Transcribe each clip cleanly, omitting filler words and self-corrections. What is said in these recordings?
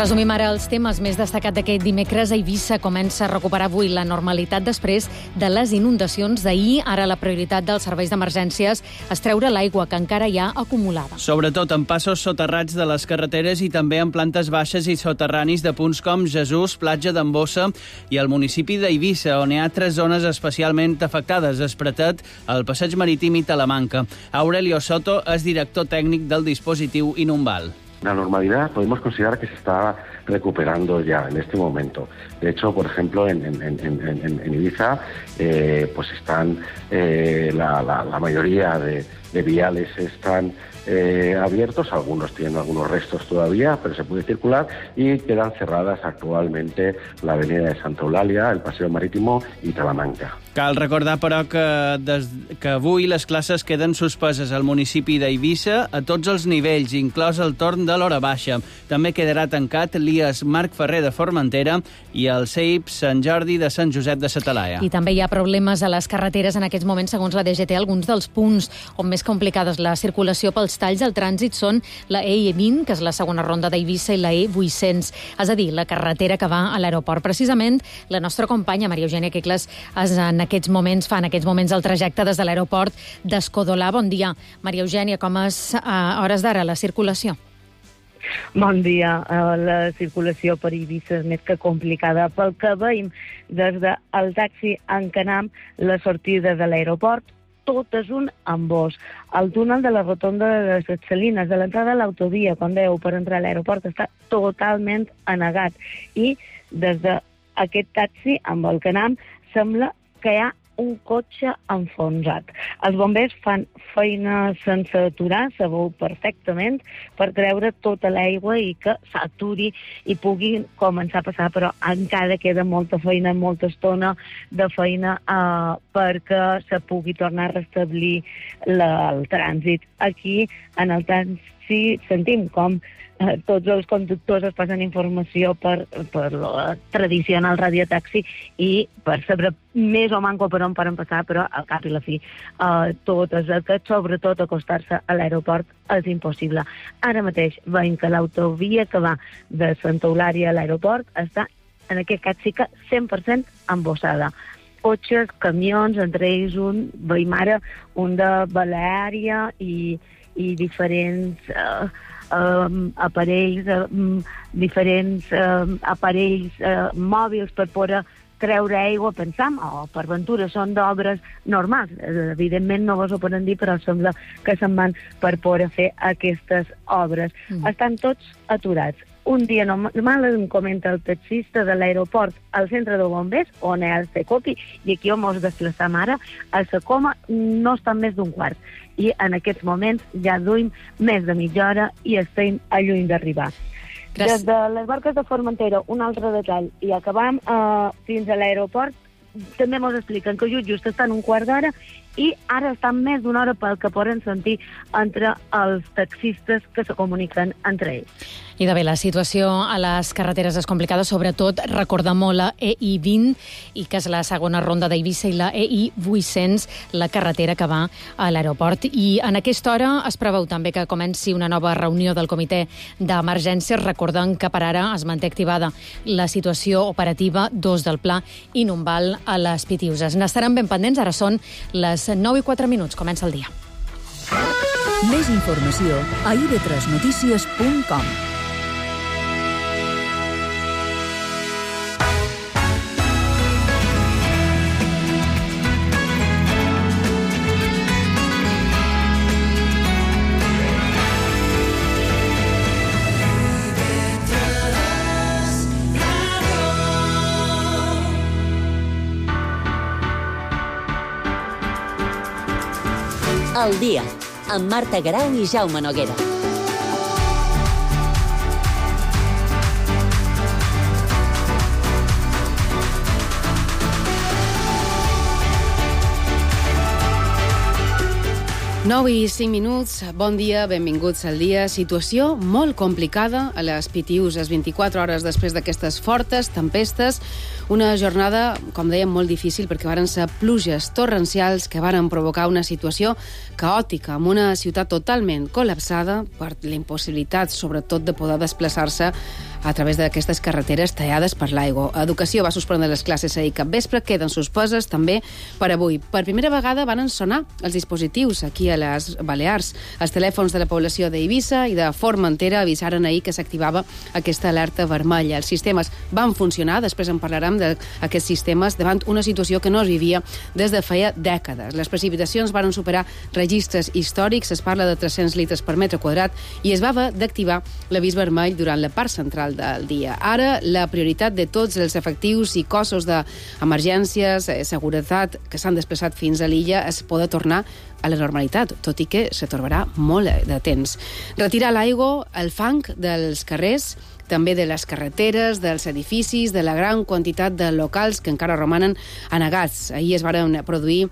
Resumim ara els temes més destacats d'aquest dimecres. Eivissa comença a recuperar avui la normalitat després de les inundacions d'ahir. Ara la prioritat dels serveis d'emergències és treure l'aigua que encara hi ha acumulada. Sobretot en passos soterrats de les carreteres i també en plantes baixes i soterranis de punts com Jesús, Platja d'en Bossa i el municipi d'Eivissa, on hi ha 3 zones especialment afectades: Espretet, el Passeig Marítim i Talamanca. Aurelio Soto és director tècnic del dispositiu Inumbal. La normalidad podemos considerar que se está recuperando ya en este momento. De hecho, por ejemplo, en Ibiza, pues están la mayoría de viales están abiertos, algunos tienen algunos restos todavía, pero se puede circular, y quedan cerradas actualmente la avenida de Santa Eulàlia, el Paseo Marítimo i Talamanca. Cal recordar, però, que avui les classes queden suspeses al municipi d'Eivissa a tots els nivells, inclòs el torn de l'hora baixa. També quedarà tancat l'IES Marc Ferrer de Formentera i el CEIP Sant Jordi de Sant Josep de sa Talaia. I també hi ha problemes a les carreteres en aquests moments, segons la DGT. Alguns dels punts on més complicada és la circulació pels talls al trànsit són la E20, que és la segona ronda d'Eivissa, i la E800, és a dir, la carretera que va a l'aeroport. Precisament, la nostra companya, Maria Eugènia Quicles, fa en aquests moments el trajecte des de l'aeroport d'Escodolà. Bon dia, Maria Eugènia, com és a hores d'ara la circulació? Bon dia. La circulació per Eivissa és més que complicada. Pel que veiem des del taxi en Canam, la sortida de l'aeroport, tot és un embòs. El túnel de la rotonda de les Salines, de l'entrada a l'autovia, quan dèieu, per entrar a l'aeroport, està totalment anegat. I des d'aquest taxi, amb el Canam, sembla que hi ha un cotxe enfonsat. Els bombers fan feina sense aturar, sabeu perfectament, per treure tota l'aigua i que s'aturi i pugui començar a passar, però encara queda molta feina, molta estona de feina perquè se pugui tornar a restablir el trànsit. Aquí, en el taxi, sentim com tots els conductors es passen informació per la tradicional radiotaxi i per saber més o manco per on poden passar, però al cap i la fi tot és aquest, sobretot acostar-se a l'aeroport, és impossible. Ara mateix veiem que l'autovia que va de Santa Eulàlia a l'aeroport està, en aquest cas sí que 100% embossada. Cotxes, camions, entre ells veiem ara un de Baleària i diferents aparells mòbils per poder treure aigua, pensam, o per ventura són d'obres normals. Evidentment no vos ho poden dir, però sembla que se'n van per poder fer aquestes obres. Estan tots aturats. Un dia normal, em comenta el taxista de l'aeroport al centre de bombers, on hi ha el Secopi, i aquí on ens desplaçam ara, a Secoma no estan més d'un quart. I en aquests moments ja duim més de mitja hora i estem a lluny d'arribar. Des de les barques de Formentera, un altre detall, i acabam fins a l'aeroport, també ens expliquen que just estan un quart d'hora i ara estan més d'una hora pel que poden sentir entre els taxistes que se comuniquen entre ells. I de bé, la situació a les carreteres és complicada, sobretot recordar molt la EI20, i que és la segona ronda d'Eivissa, i la EI800, la carretera que va a l'aeroport. I en aquesta hora es preveu també que comenci una nova reunió del comitè d'emergències, recordant que per ara es manté activada la situació operativa 2 del pla Inumbal a les Pitiuses. N'estaran ben pendents, ara són les 9:04. Comença el dia. Més informació a ib3notícies.com. El dia, amb Marta Garau i Jaume Noguera. Nou i 5 minuts, bon dia, benvinguts al dia. Situació molt complicada a les Pitiuses, 24 hores després d'aquestes fortes tempestes. Una jornada, com dèiem, molt difícil perquè varen ser pluges torrencials que varen provocar una situació caòtica, amb una ciutat totalment col·lapsada per la impossibilitat, sobretot, de poder desplaçar-se a través d'aquestes carreteres tallades per l'aigua. Educació va suspendre les classes ahir cap vespre, queden suspeses també per avui. Per primera vegada van sonar els dispositius aquí a les Balears. Els telèfons de la població d'Eivissa i de Formentera avisaren ahir que s'activava aquesta alerta vermella. Els sistemes van funcionar, després en parlarem d'aquests sistemes, davant una situació que no es vivia des de feia dècades. Les precipitacions van superar registres històrics, es parla de 300 litres per metre quadrat, i es va haver d'activar l'avís vermell durant la part central del dia. Ara, la prioritat de tots els efectius i cossos d'emergències, seguretat, que s'han desplaçat fins a l'illa, es poder tornar a la normalitat, tot i que s'atorbarà molt de temps. Retirar l'aigua, el fang dels carrers, també de les carreteres, dels edificis, de la gran quantitat de locals que encara romanen anegats. Ahir es varen produir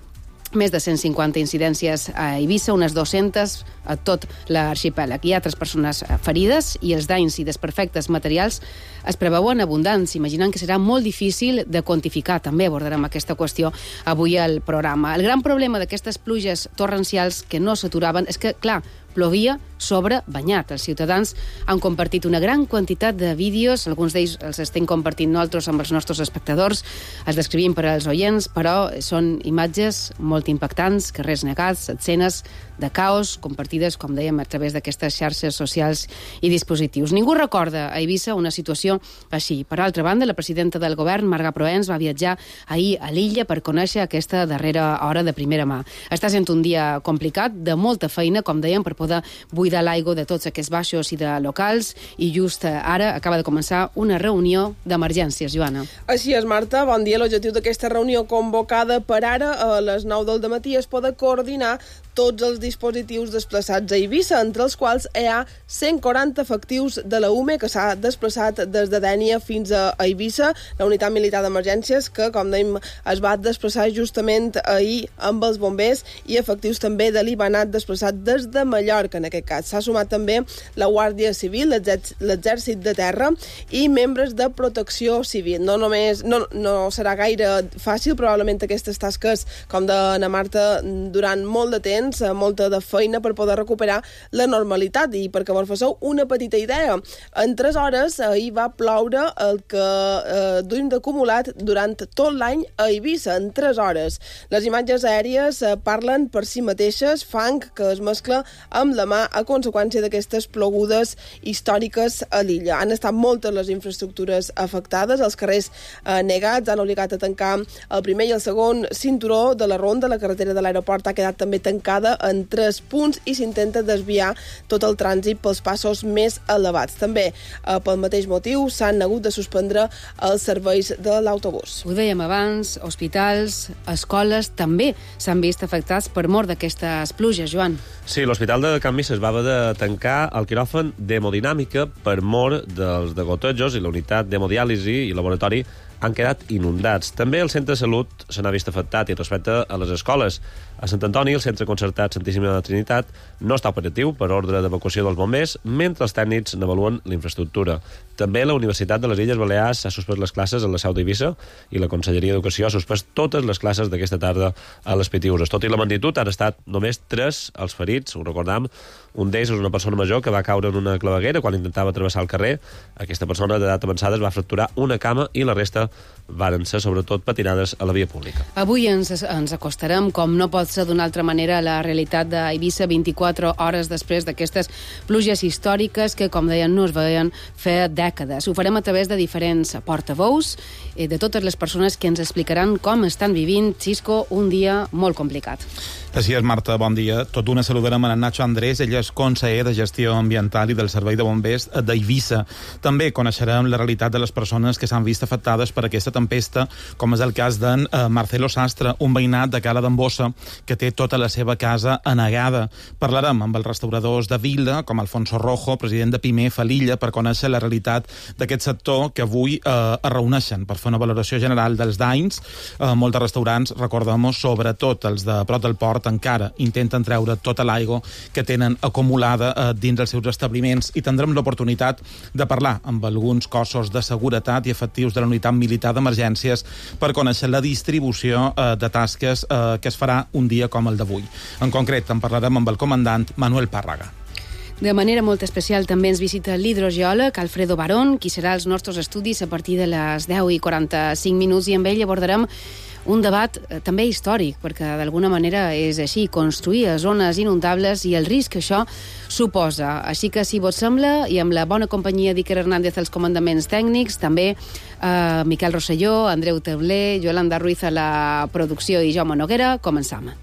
més de 150 incidències a Eivissa, unes 200 a tot l'arxipèlag. Hi ha 3 persones ferides i els danys i desperfectes materials es preveuen abundants, imaginant que serà molt difícil de quantificar. També abordarem aquesta qüestió avui al programa. El gran problema d'aquestes pluges torrencials que no s'aturaven és que, clar, plovia sobre banyat. Els ciutadans han compartit una gran quantitat de vídeos, alguns d'ells els estem compartint nosaltres amb els nostres espectadors, els descrivim per als oients, però són imatges molt impactants, carrers negats, escenes de caos, compartides, com dèiem, a través d'aquestes xarxes socials i dispositius. Ningú recorda a Eivissa una situació així. Per altra banda, la presidenta del govern, Marga Proens, va viatjar ahir a l'illa per conèixer aquesta darrera hora de primera mà. Està sent un dia complicat, de molta feina, com dèiem, per poder buidar l'aigua de tots aquests baixos i de locals, i just ara acaba de començar una reunió d'emergències, Joana. Així és, Marta. Bon dia. L'objectiu d'aquesta reunió convocada per ara a les 9 del dematí és poder coordinar tots els dispositius desplaçats a Eivissa, entre els quals hi ha 140 efectius de la UME que s'ha desplaçat des de Dénia fins a Eivissa, la unitat militar d'emergències que, com dèiem, es va desplaçar justament ahir amb els bombers, i efectius també de l'Ibanat desplaçat des de Mallorca, en aquest cas. S'ha sumat també la Guàrdia Civil, l'Exèrcit de Terra i membres de Protecció Civil. No serà gaire fàcil, probablement, aquestes tasques, com d'Anna Marta, durant molt de temps, molta de feina per poder recuperar la normalitat. I perquè vos faceu una petita idea, en 3 hores ahir va ploure el que duim d'acumulat durant tot l'any a Eivissa, en 3 hores. Les imatges aèries parlen per si mateixes, fang que es mescla amb la mà a conseqüència d'aquestes plogudes històriques a l'illa. Han estat moltes les infraestructures afectades, els carrers negats han obligat a tancar el primer i el segon cinturó de la ronda, la carretera de l'aeroport ha quedat també tancada en 3 punts i s'intenta desviar tot el trànsit pels passos més elevats. També, pel mateix motiu, s'han hagut de suspendre els serveis de l'autobús. Ho dèiem abans, hospitals, escoles també s'han vist afectats per mort d'aquestes pluges, Joan. Sí, l'Hospital de Can Misses va haver de tancar el quiròfan d'hemodinàmica per mort dels degotejos, i la unitat d'hemodiàlisi i laboratori han quedat inundats. També el centre de salut se n'ha vist afectat, i respecte a les escoles. A Sant Antoni, el centre concertat Santíssima Trinitat no està operatiu per ordre d'evacuació dels bombers, mentre els tècnics n'avaluen l'infraestructura. També la Universitat de les Illes Balears ha suspès les classes a la seu d'Eivissa, i la Conselleria d'Educació ha suspès totes les classes d'aquesta tarda a les Pitiüses. Tot i la magnitud, han estat només 3 els ferits, ho recordam. Un d'ells és una persona major que va caure en una claveguera quan intentava travessar el carrer. Aquesta persona d'edat avançada es va fracturar una cama i la resta varen ser sobretot patinades a la via pública. Avui ens acostarem, com no pot ser d'una altra manera, a la realitat d'Eivissa 24 hores després d'aquestes pluges històriques que, com deien, no es veien fer dècades. Ho farem a través de diferents portaveus, de totes les persones que ens explicaran com estan vivint, Xisco, un dia molt complicat. Així és, Marta, bon dia. Tot d'una saludarem a Nacho Andrés, ell és conseller de Gestió Ambiental i del Servei de Bombers d'Eivissa. També coneixerem la realitat de les persones que s'han vist afectades per aquesta tempesta, com és el cas d'en Marcelo Sastre, un veïnat de Cala d'Embossa que té tota la seva casa anegada. Parlarem amb els restauradors de Vila, com Alfonso Rojo, president de Pimef a l'illa, per conèixer la realitat d'aquest sector que avui es reuneixen per fer una valoració general dels danys. Molts restaurants, recordem-ho, sobretot els de prop del port, encara intenten treure tota l'aigua que tenen acumulada dins els seus establiments, i tindrem l'oportunitat de parlar amb alguns cossos de seguretat i efectius de la unitat militar d'emergències per conèixer la distribució de tasques que es farà un dia com el d'avui. En concret, en parlarem amb el comandant Manuel Párraga. De manera molt especial també ens visita l'hidrogeòleg Alfredo Barón, qui serà als nostres estudis a partir de les 10:45 minuts, i amb ell abordarem un debat també històric, perquè d'alguna manera és així, construir a zones inundables i el risc que això suposa. Així que, si vos sembla, i amb la bona companyia d'Iker Hernández als comandaments tècnics, també Miquel Rosselló, Andreu Teuler, Yolanda Ruiz a la producció i Jaume Noguera, començam.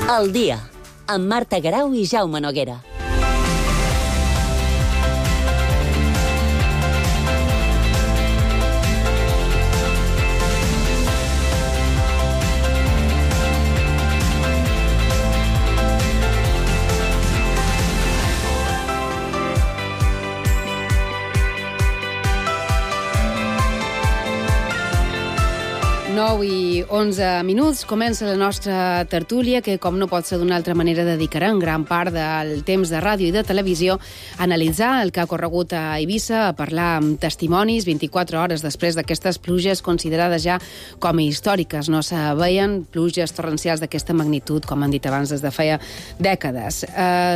El dia, amb Marta Garau i Jaume Noguera. I 11 minuts, comença la nostra tertúlia, que, com no pot ser d'una altra manera, dedicarem gran part del temps de ràdio i de televisió a analitzar el que ha corregut a Eivissa, a parlar amb testimonis 24 hores després d'aquestes pluges considerades ja com a històriques. No se veien pluges torrencials d'aquesta magnitud, com han dit abans, des de feia dècades.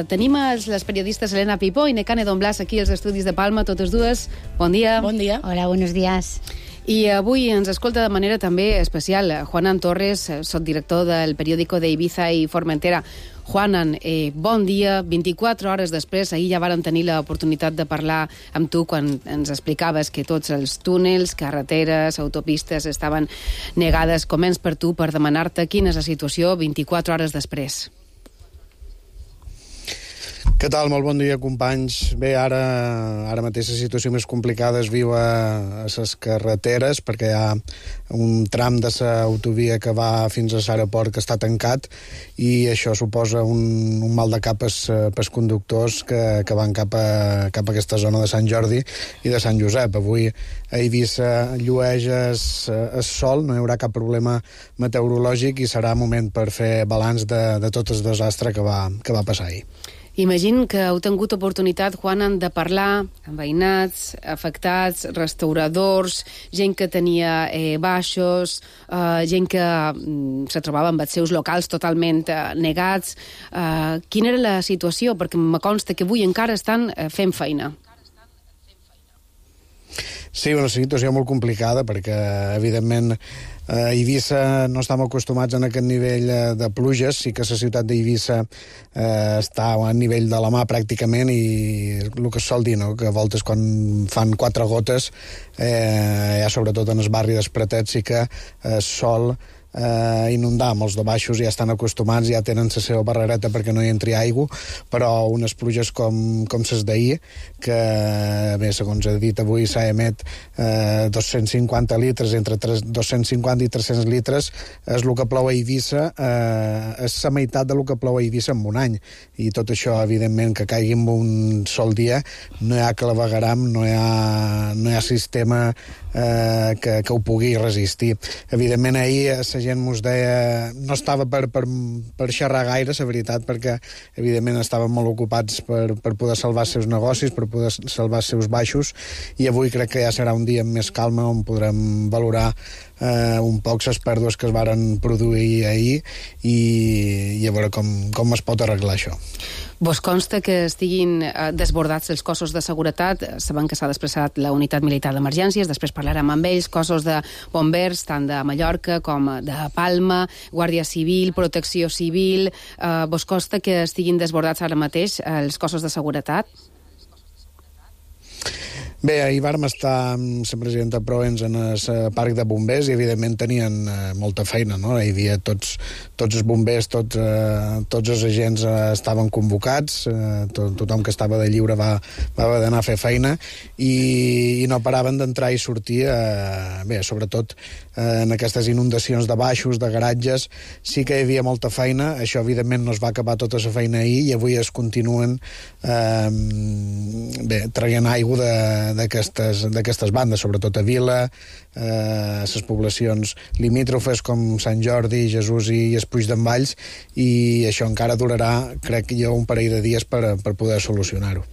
Tenim les periodistes Elena Pipó i Nekane Don Blas aquí als estudis de Palma, totes dues. Bon dia. Bon dia. Hola, buenos días. I avui ens escolta de manera també especial Juanan Torres, sotdirector del periòdico d'Eivissa i Formentera. Juanan, bon dia. 24 hores després, ahir ja vàrem tenir l'oportunitat de parlar amb tu quan ens explicaves que tots els túnels, carreteres, autopistes estaven negades. Començ per tu, per demanar-te quina és la situació 24 hores després. Què tal? Molt bon dia, companys. Bé, ara mateix la situació més complicada es viu a les carreteres, perquè hi ha un tram de l'autovia que va fins a l'aeroport que està tancat, i això suposa un mal de cap pels conductors que van cap a aquesta zona de Sant Jordi i de Sant Josep. Avui a Eivissa llueix el sol, no hi haurà cap problema meteorològic i serà moment per fer balanç de tot el desastre que va passar ahir. Imagino que heu tingut oportunitat, Juanan, de parlar amb veïnats, afectats, restauradors, gent que tenia baixos, gent que se trobava amb els seus locals totalment negats. Quina era la situació? Perquè me consta que avui encara estan fent feina. Sí, una situació molt complicada, perquè, evidentment, a Eivissa no estem acostumats a aquest nivell de pluges. Sí que la ciutat d'Eivissa està a nivell de la mà pràcticament, i el que es sol dir, no? Que a voltes quan fan 4 gotes, ja sobretot en el barri dels Pratets, sí que el sol inundar. Molts de baixos ja estan acostumats, ja tenen la seva barrereta perquè no hi entri aigua, però unes pluges com les d'ahir, que bé, segons he dit avui, s'ha emet 250 litres, entre 250 i 300 litres, és el que plou a Eivissa, és la meitat del que plou a Eivissa en un any, i tot això, evidentment, que caigui en un sol dia, no hi ha clavegaram, no hi ha sistema que ho pugui resistir. Evidentment, ahir la gent mos deia, no estava per xerrar gaire, la veritat, perquè evidentment estaven molt ocupats per poder salvar els seus negocis, per poder salvar els seus baixos, i avui crec que ja serà un dia amb més calma, on podrem valorar un poc les pèrdues que es varen produir ahir i a veure com es pot arreglar això. Vos consta que estiguin desbordats els cossos de seguretat? Sabem que s'ha desplaçat la unitat militar d'emergències, després parlarem amb ells, cossos de bombers, tant de Mallorca com de Palma, Guàrdia Civil, Protecció Civil. Vos consta que estiguin desbordats ara mateix els cossos de seguretat? Bé, ahir vam estar amb la presidenta Proens en el parc de bombers i, evidentment, tenien molta feina, no? Hi havia tots els bombers, tots els agents estaven convocats, tothom que estava de lliure va haver d'anar a fer feina i no paraven d'entrar i sortir, bé, sobretot en aquestes inundacions de baixos, de garatges, sí que hi havia molta feina. Això, evidentment, no es va acabar tota la feina ahir i avui es continuen traient aigua d'aquestes bandes, sobretot a Vila, les poblacions limítrofes com Sant Jordi, Jesús i Espuig d'en Valls, i això encara durarà, crec que hi ha un parell de dies per poder solucionar-ho.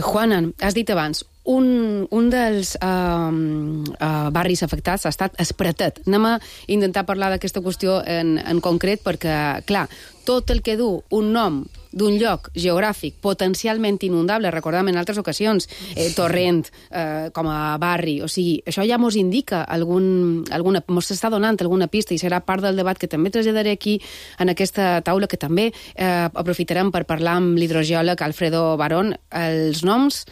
Juana, has dit abans, un dels barris afectats ha estat Espretet. Anem a intentar parlar d'aquesta qüestió en concret perquè, clar, tot el que du un nom d'un lloc geogràfic potencialment inundable, recordem en altres ocasions, Torrent com a barri, o sigui, això ja mos indica mos està donant alguna pista i serà part del debat que també traslladaré aquí en aquesta taula, que també aprofitarem per parlar amb l'hidrogeòleg Alfredo Barón. Els noms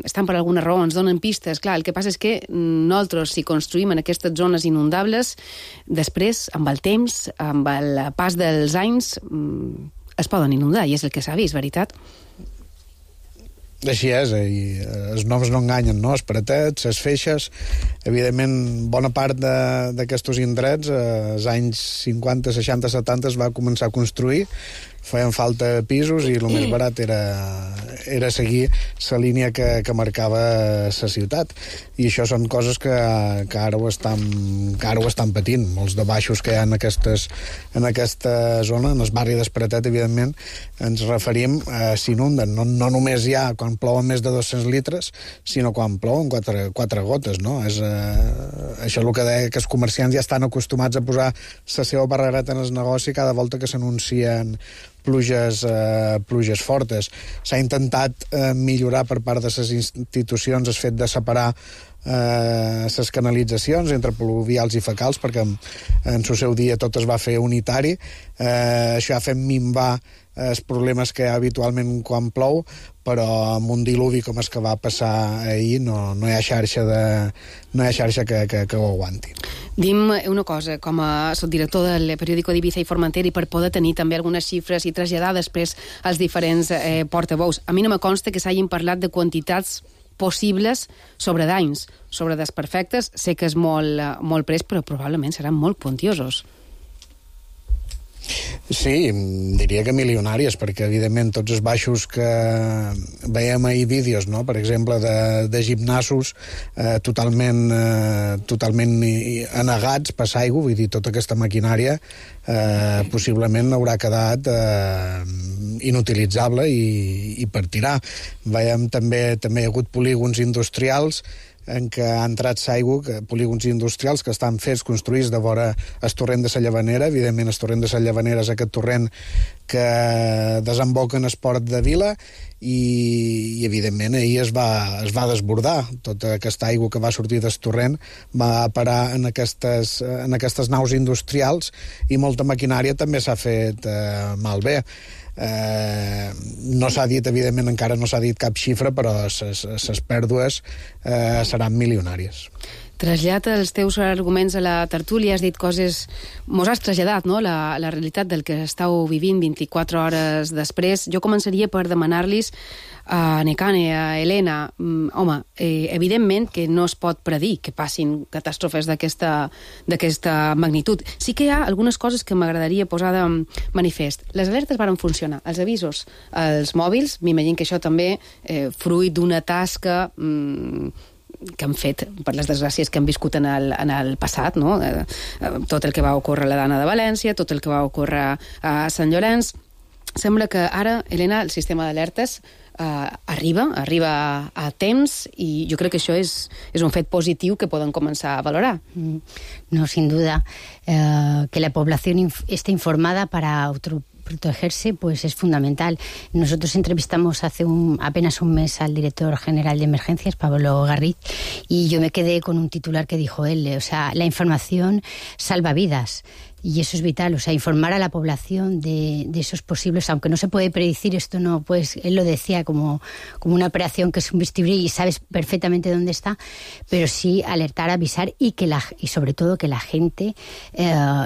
estan per alguna raó, ens donen pistes. Clar, el que passa és que nosaltres, si construïm en aquestes zones inundables, després, amb el temps, amb el pas dels anys, es poden inundar, i és el que s'ha vist, veritat? Així és, i els noms no enganyen, no? Espretet, les Feixes, evidentment, bona part d'aquests indrets, als anys 50, 60, 70 es va començar a construir, feien falta pisos i el més barat era seguir la línia que marcava la ciutat, i això són coses que ara ho estan patint. Molts de baixos que hi ha en aquesta zona, en el barri d'Espretet, evidentment, ens referim a s'inunden, no només ja quan plouen més de 200 litres, sinó quan plouen 4 gotes, no? Això és el que deia, que els comerciants ja estan acostumats a posar la seva barrereta en el negoci cada volta que s'anuncien pluges fortes. S'ha intentat millorar per part de les institucions el fet de separar les canalitzacions entre pluvials i fecals, perquè en el seu dia tot es va fer unitari. Això ha fet minvar els problemes que hi ha habitualment quan plou, però amb un diluvi com el que va passar ahir no hi ha xarxa que ho aguanti. Dim una cosa, com a subdirector del periòdico d'Ibiza i Formentera, i per poder tenir també algunes xifres i traslladar després als diferents portaveus. A mi no me consta que s'hagin parlat de quantitats possibles sobre danys, sobre desperfectes. Sé que és molt pres, però probablement seran molt quantiosos. Sí, diria que milionàries, perquè evidentment tots els baixos que veiem ahir vídeos, no? Per exemple, de gimnasos totalment anegats per l'aigua, vull dir, tota aquesta maquinària possiblement haurà quedat inutilitzable i per tirar. Veiem també hi ha hagut polígons industrials en què ha entrat l'aigua, polígons industrials que estan construïts de vora el torrent de la Llavanera. Evidentment, el torrent de la Llavanera és aquest torrent que desemboca en el port de Vila, i evidentment ahir es va desbordar. Tota aquesta aigua que va sortir del torrent va parar en aquestes naus industrials, i molta maquinària també s'ha fet malbé. No s'ha dit, evidentment encara no s'ha dit cap xifra, però les pèrdues seran milionàries. Trasllat els teus arguments a la tertúlia, has dit coses, mos has traslladat, no?, la realitat del que estàu vivint 24 hores després. Jo començaria per demanar-los a Nekane, a Helena, home, evidentment que no es pot predir que passin catàstrofes d'aquesta magnitud. Sí que hi ha algunes coses que m'agradaria posar de manifest. Les alertes varen funcionar, els avisos als mòbils, m'imagino que això també fruit d'una tasca que han fet per les desgràcies que han viscut en el passat, no? Tot el que va ocórrer a la Dana de València, tot el que va ocórrer a Sant Llorenç. Sembla que ara, Helena, el sistema d'alertes arriba a temps, i jo crec que això és un fet positiu que poden començar a valorar. No, sin duda. Que la población esté informada para protegerse, pues es fundamental. Nosotros entrevistamos hace apenas un mes al director general de emergencias, Pablo Garriz, y yo me quedé con un titular que dijo él, o sea, la información salva vidas. Y eso es vital, o sea, informar a la población de esos posibles, aunque no se puede predecir, esto no, pues él lo decía como una operación que es un bisturí y sabes perfectamente dónde está, pero sí alertar, avisar y sobre todo que la gente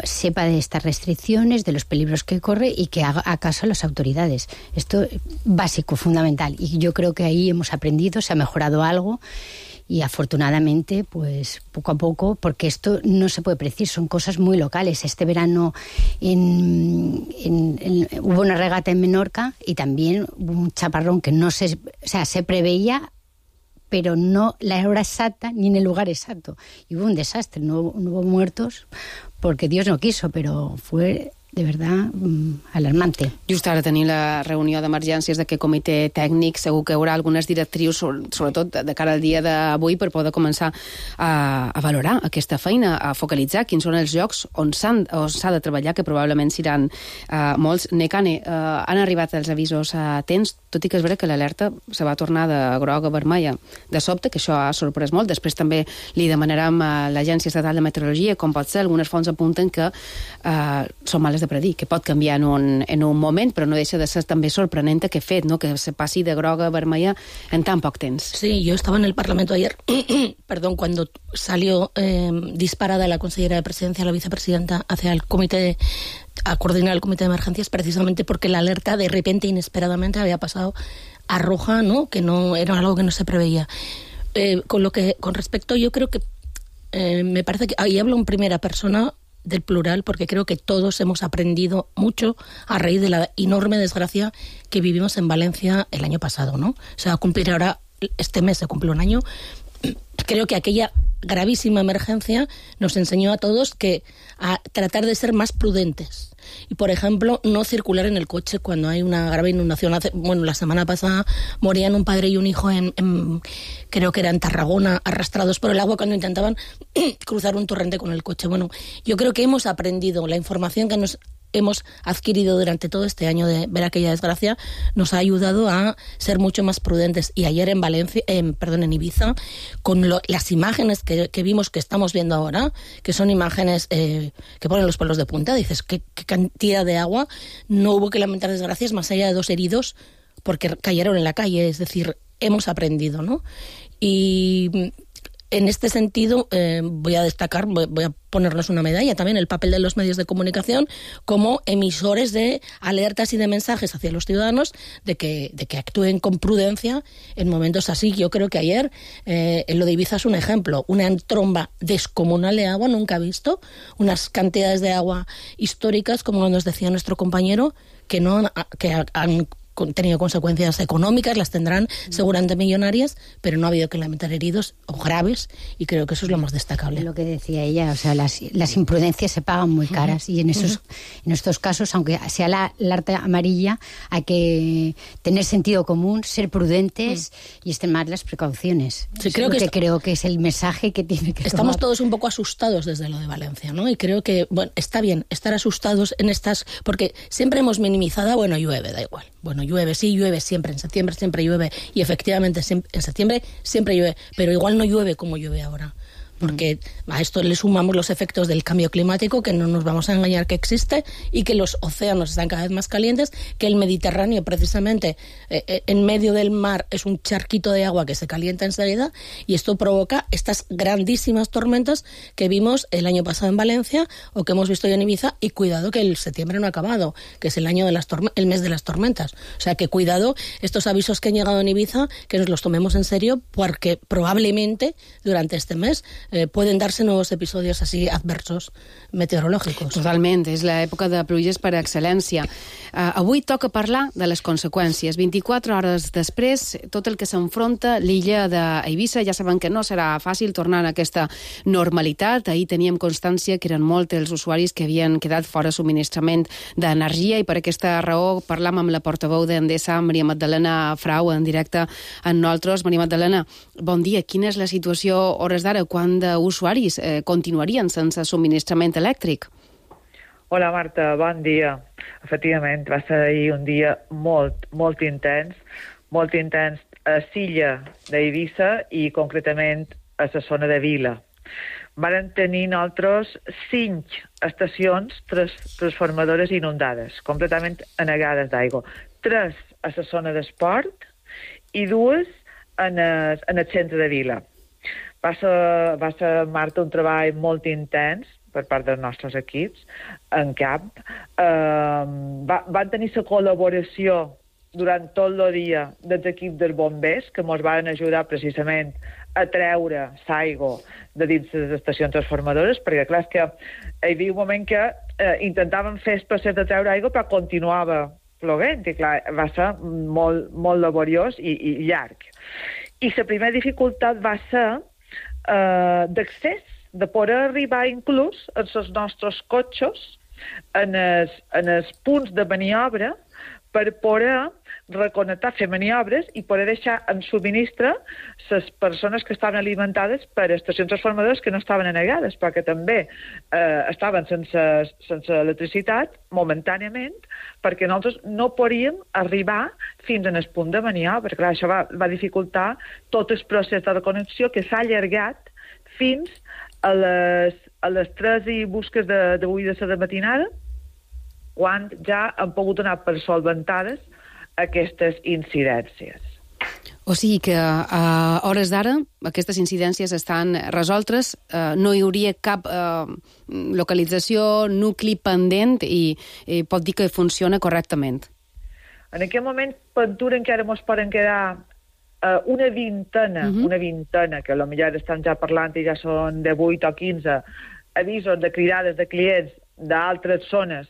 sepa de estas restricciones, de los peligros que corre y que haga caso a las autoridades. Esto es básico, fundamental, y yo creo que ahí hemos aprendido, se ha mejorado algo. Y afortunadamente, pues poco a poco, porque esto no se puede predecir, son cosas muy locales. Este verano hubo una regata en Menorca y también hubo un chaparrón que se preveía, pero no la hora exacta ni en el lugar exacto. Y hubo un desastre, no hubo muertos porque Dios no quiso, pero fue de verdad alarmante. Just ara tenim la reunió d'emergències d'aquest comitè tècnic, segur que hi haurà algunes directrius, sobretot de cara al dia d'avui, per poder començar a valorar aquesta feina, a focalitzar quins són els llocs on s'ha de treballar, que probablement seran molts. Nekane, han arribat els avisos a temps, tot i que és vera que l'alerta se va tornar de groga a vermella de sobte, que això ha sorprès molt. Després també li demanarem a l'Agència Estatal de Meteorologia com pot ser. Algunes fonts apunten que són males de predir, que pot canviar en un moment, però no deixa de ser també sorprenent aquest fet, ¿no? Que se passi de groga a vermella en tan poc temps. Sí, yo estaba en el Parlamento ayer, perdón, cuando salió disparada la consellera de Presidencia, la vicepresidenta, hacia el comité, a coordinar el comité de emergencias, precisamente porque la alerta de repente, inesperadamente, había pasado a roja, ¿no? Que no era algo que no se preveía. Con respecto, yo creo que me parece que ahí hablo en primera persona del plural, porque creo que todos hemos aprendido mucho a raíz de la enorme desgracia que vivimos en Valencia el año pasado, ¿no? Se va a cumplir ahora, este mes se cumple un año. Creo que aquella gravísima emergencia nos enseñó a todos a tratar de ser más prudentes. Y, por ejemplo, no circular en el coche cuando hay una grave inundación. La semana pasada morían un padre y un hijo creo que era en Tarragona, arrastrados por el agua cuando intentaban cruzar un torrente con el coche. Bueno, yo creo que hemos aprendido, la información que nos hemos adquirido durante todo este año de ver aquella desgracia nos ha ayudado a ser mucho más prudentes. Y ayer en en Ibiza, con las imágenes que vimos, que estamos viendo ahora, que son imágenes que ponen los pelos de punta, dices, ¿qué cantidad de agua? No hubo que lamentar desgracias más allá de 2 heridos porque cayeron en la calle. Es decir, hemos aprendido, ¿no? Y en este sentido voy a destacar, voy a ponerles una medalla también, el papel de los medios de comunicación como emisores de alertas y de mensajes hacia los ciudadanos de que actúen con prudencia en momentos así. Yo creo que ayer en lo de Ibiza es un ejemplo, una tromba descomunal de agua, nunca visto, unas cantidades de agua históricas, como nos decía nuestro compañero, que han tenido consecuencias económicas, las tendrán seguramente millonarias, pero no ha habido que lamentar heridos o graves, y creo que eso es lo más destacable. Lo que decía ella, o sea, las imprudencias se pagan muy caras, y en estos casos, aunque sea la alerta amarilla, hay que tener sentido común, ser prudentes y extremar las precauciones. Sí, creo que es el mensaje que tiene que Estamos tomar. Todos un poco asustados desde lo de Valencia, ¿no? Y creo que, bueno, está bien estar asustados en estas, porque siempre hemos minimizado, bueno, llueve, da igual. Bueno, llueve siempre, en septiembre siempre llueve, y efectivamente en septiembre siempre llueve, pero igual no llueve como llueve ahora, porque a esto le sumamos los efectos del cambio climático, que no nos vamos a engañar que existe, y que los océanos están cada vez más calientes, que el Mediterráneo precisamente en medio del mar es un charquito de agua que se calienta enseguida, y esto provoca estas grandísimas tormentas que vimos el año pasado en Valencia o que hemos visto hoy en Ibiza. Y cuidado que el septiembre no ha acabado, que es el mes de las tormentas, o sea que cuidado estos avisos que han llegado en Ibiza, que nos los tomemos en serio, porque probablemente durante este mes pueden darse nuevos episodios así adversos meteorològics. Totalment, és l'època de pluges per excel·lència. Avui toca parlar de les conseqüències. 24 hores després, tot el que s'enfronta l'illa d'Eivissa, ja saben que no serà fàcil tornar a aquesta normalitat. Ahir teníem constància que eren molts els usuaris que havien quedat fora subministrament d'energia, i per aquesta raó parlam amb la portaveu d'Endesa, Maria Magdalena Frau, en directe amb nosaltres. Maria Magdalena, bon dia. Quina és la situació a hores d'ara? Quant d'usuaris continuarien sense subministrament elèctric? Hola, Marta, bon dia. Efectivament, va ser ahir un dia molt intens a l'illa d'Eivissa i concretament a la zona de Vila. Varen tenir nosaltres 5 estacions transformadores inundades, completament anegades d'aigua. 3 a la zona d'esport i 2 en el centre de Vila. Va ser, Marta, un treball molt intens per part dels nostres equips en camp. Van tenir la col·laboració durant tot el dia dels equips dels bombers, que ens van ajudar precisament a treure l'aigua de dins les estacions transformadores, perquè clar, és que hi havia un moment que intentaven fer el procés de treure aigua, però continuava plovent, i clar, va ser molt laboriós i llarg. I la primera dificultat va ser d'accés, de poder arribar inclús als nostres cotxes en els punts de maniobra per poder reconnectar, fer maniobres i poder deixar en subministre les persones que estaven alimentades per estacions transformadores que no estaven anegades, perquè també estaven sense electricitat momentàniament, perquè nosaltres no podíem arribar fins en el punt de maniobra. Clar, això va dificultar tot el procés de reconnexió que s'ha allargat fins a les 3 i busques d'avui de la matinada, quan ja han pogut anar per solventades aquestes incidències. O sigui que a hores d'ara aquestes incidències estan resoltes, no hi hauria cap localització, nucli pendent i pot dir que funciona correctament. En aquest moment, Ventura encara ens poden quedar una vintena, que potser estan ja parlant i ja són de 8 o 15 avisos de cridades de clients d'altres zones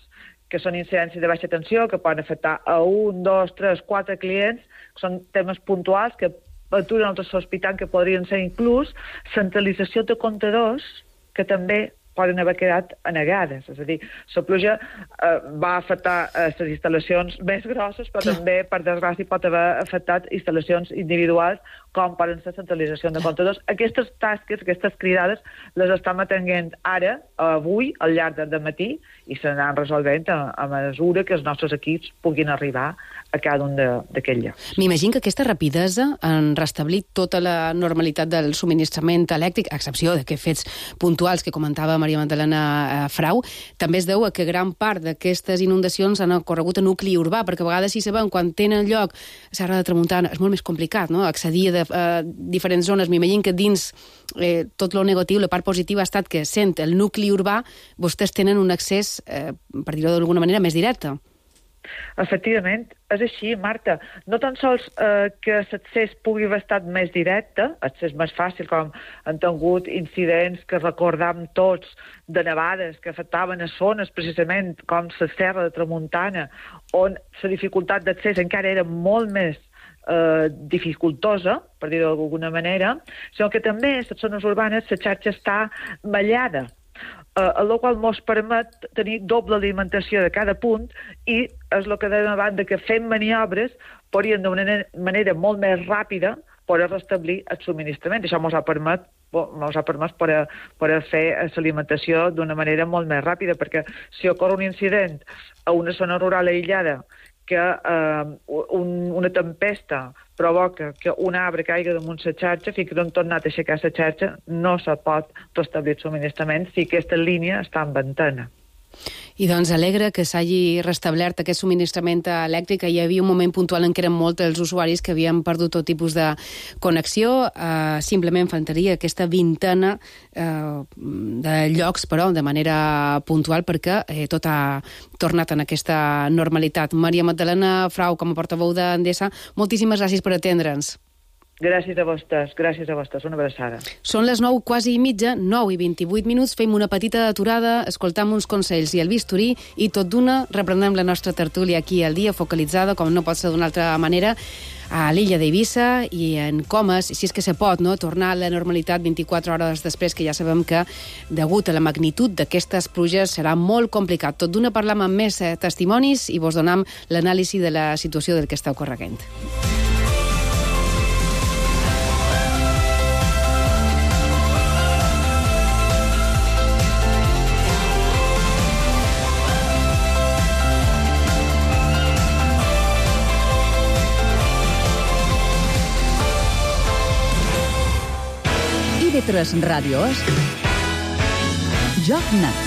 que són incidències de baixa tensió, que poden afectar a 1, 2, 3, 4 clients, que són temes puntuals que Ventura nosaltres sospitant que podrien ser inclús centralització de comptadors que també poden haver quedat anegades. És a dir, la pluja va afectar les instal·lacions més grosses, però també, per desgràcia, pot haver afectat instal·lacions individuals, com poden ser centralització de comptadors. Aquestes tasques, aquestes cridades, les estem atenent ara, avui, al llarg del matí, i s'anaran resolvent a mesura que els nostres equips puguin arribar a cada un d'aquests llocs. M'imagino que aquesta rapidesa en restablir tota la normalitat del subministrament elèctric, a excepció d'aquests fets puntuals que comentava Maria Magdalena Frau, també es deu a que gran part d'aquestes inundacions han ocorregut a nucli urbà, perquè a vegades, si sabem, quan tenen lloc a Serra de Tramuntana, és molt més complicat, no?, accedir a diferents zones. M'imagino que dins tot lo negatiu, la part positiva ha estat que, sent el nucli urbà, vostès tenen un accés, per dir-ho d'alguna manera, més directe. Efectivament, és així, Marta. No tan sols que l'accés pugui haver estat més directe, accés més fàcil, com han tingut incidents que recordam tots de nevades que afectaven a zones precisament com la Serra de Tramuntana, on la dificultat d'accés encara era molt més dificultosa, per dir-ho d'alguna manera, sinó que també a les zones urbanes la xarxa està mallada, el qual ens permet tenir doble alimentació de cada punt i és el que dèiem abans, que fent maniobres podríem d'una manera molt més ràpida poder restablir el subministrament. Això ens ha permès poder fer l'alimentació d'una manera molt més ràpida, perquè si ocorre un incident a una zona rural aïllada que una tempesta provoca que un arbre caiga damunt la xarxa, fins que no han tornat a aixecar la xarxa, no se pot restablir el subministrament si aquesta línia està en ventana. I doncs alegra que s'hagi restablert aquest subministrament elèctric. Hi havia un moment puntual en què eren molts els usuaris que havien perdut tot tipus de connexió. Simplement faltaria aquesta vintena de llocs, però de manera puntual, perquè tot ha tornat en aquesta normalitat. Maria Magdalena Frau, com a portaveu d'Endesa, moltíssimes gràcies per atendre'ns. Gràcies a vostès, una abraçada. Són les 9, quasi i mitja, 9 i 28 minuts, fem una petita aturada, escoltam uns consells i el bisturí, i tot d'una reprenem la nostra tertúlia aquí al dia, focalitzada, com no pot ser d'una altra manera, a l'illa d'Eivissa i en Comas, si és que se pot, no?, tornar a la normalitat 24 hores després, que ja sabem que, degut a la magnitud d'aquestes pluges, serà molt complicat. Tot d'una parlam amb més testimonis i vos donam l'anàlisi de la situació del que està ocorreguent. IB3 Ràdio és Joc Net.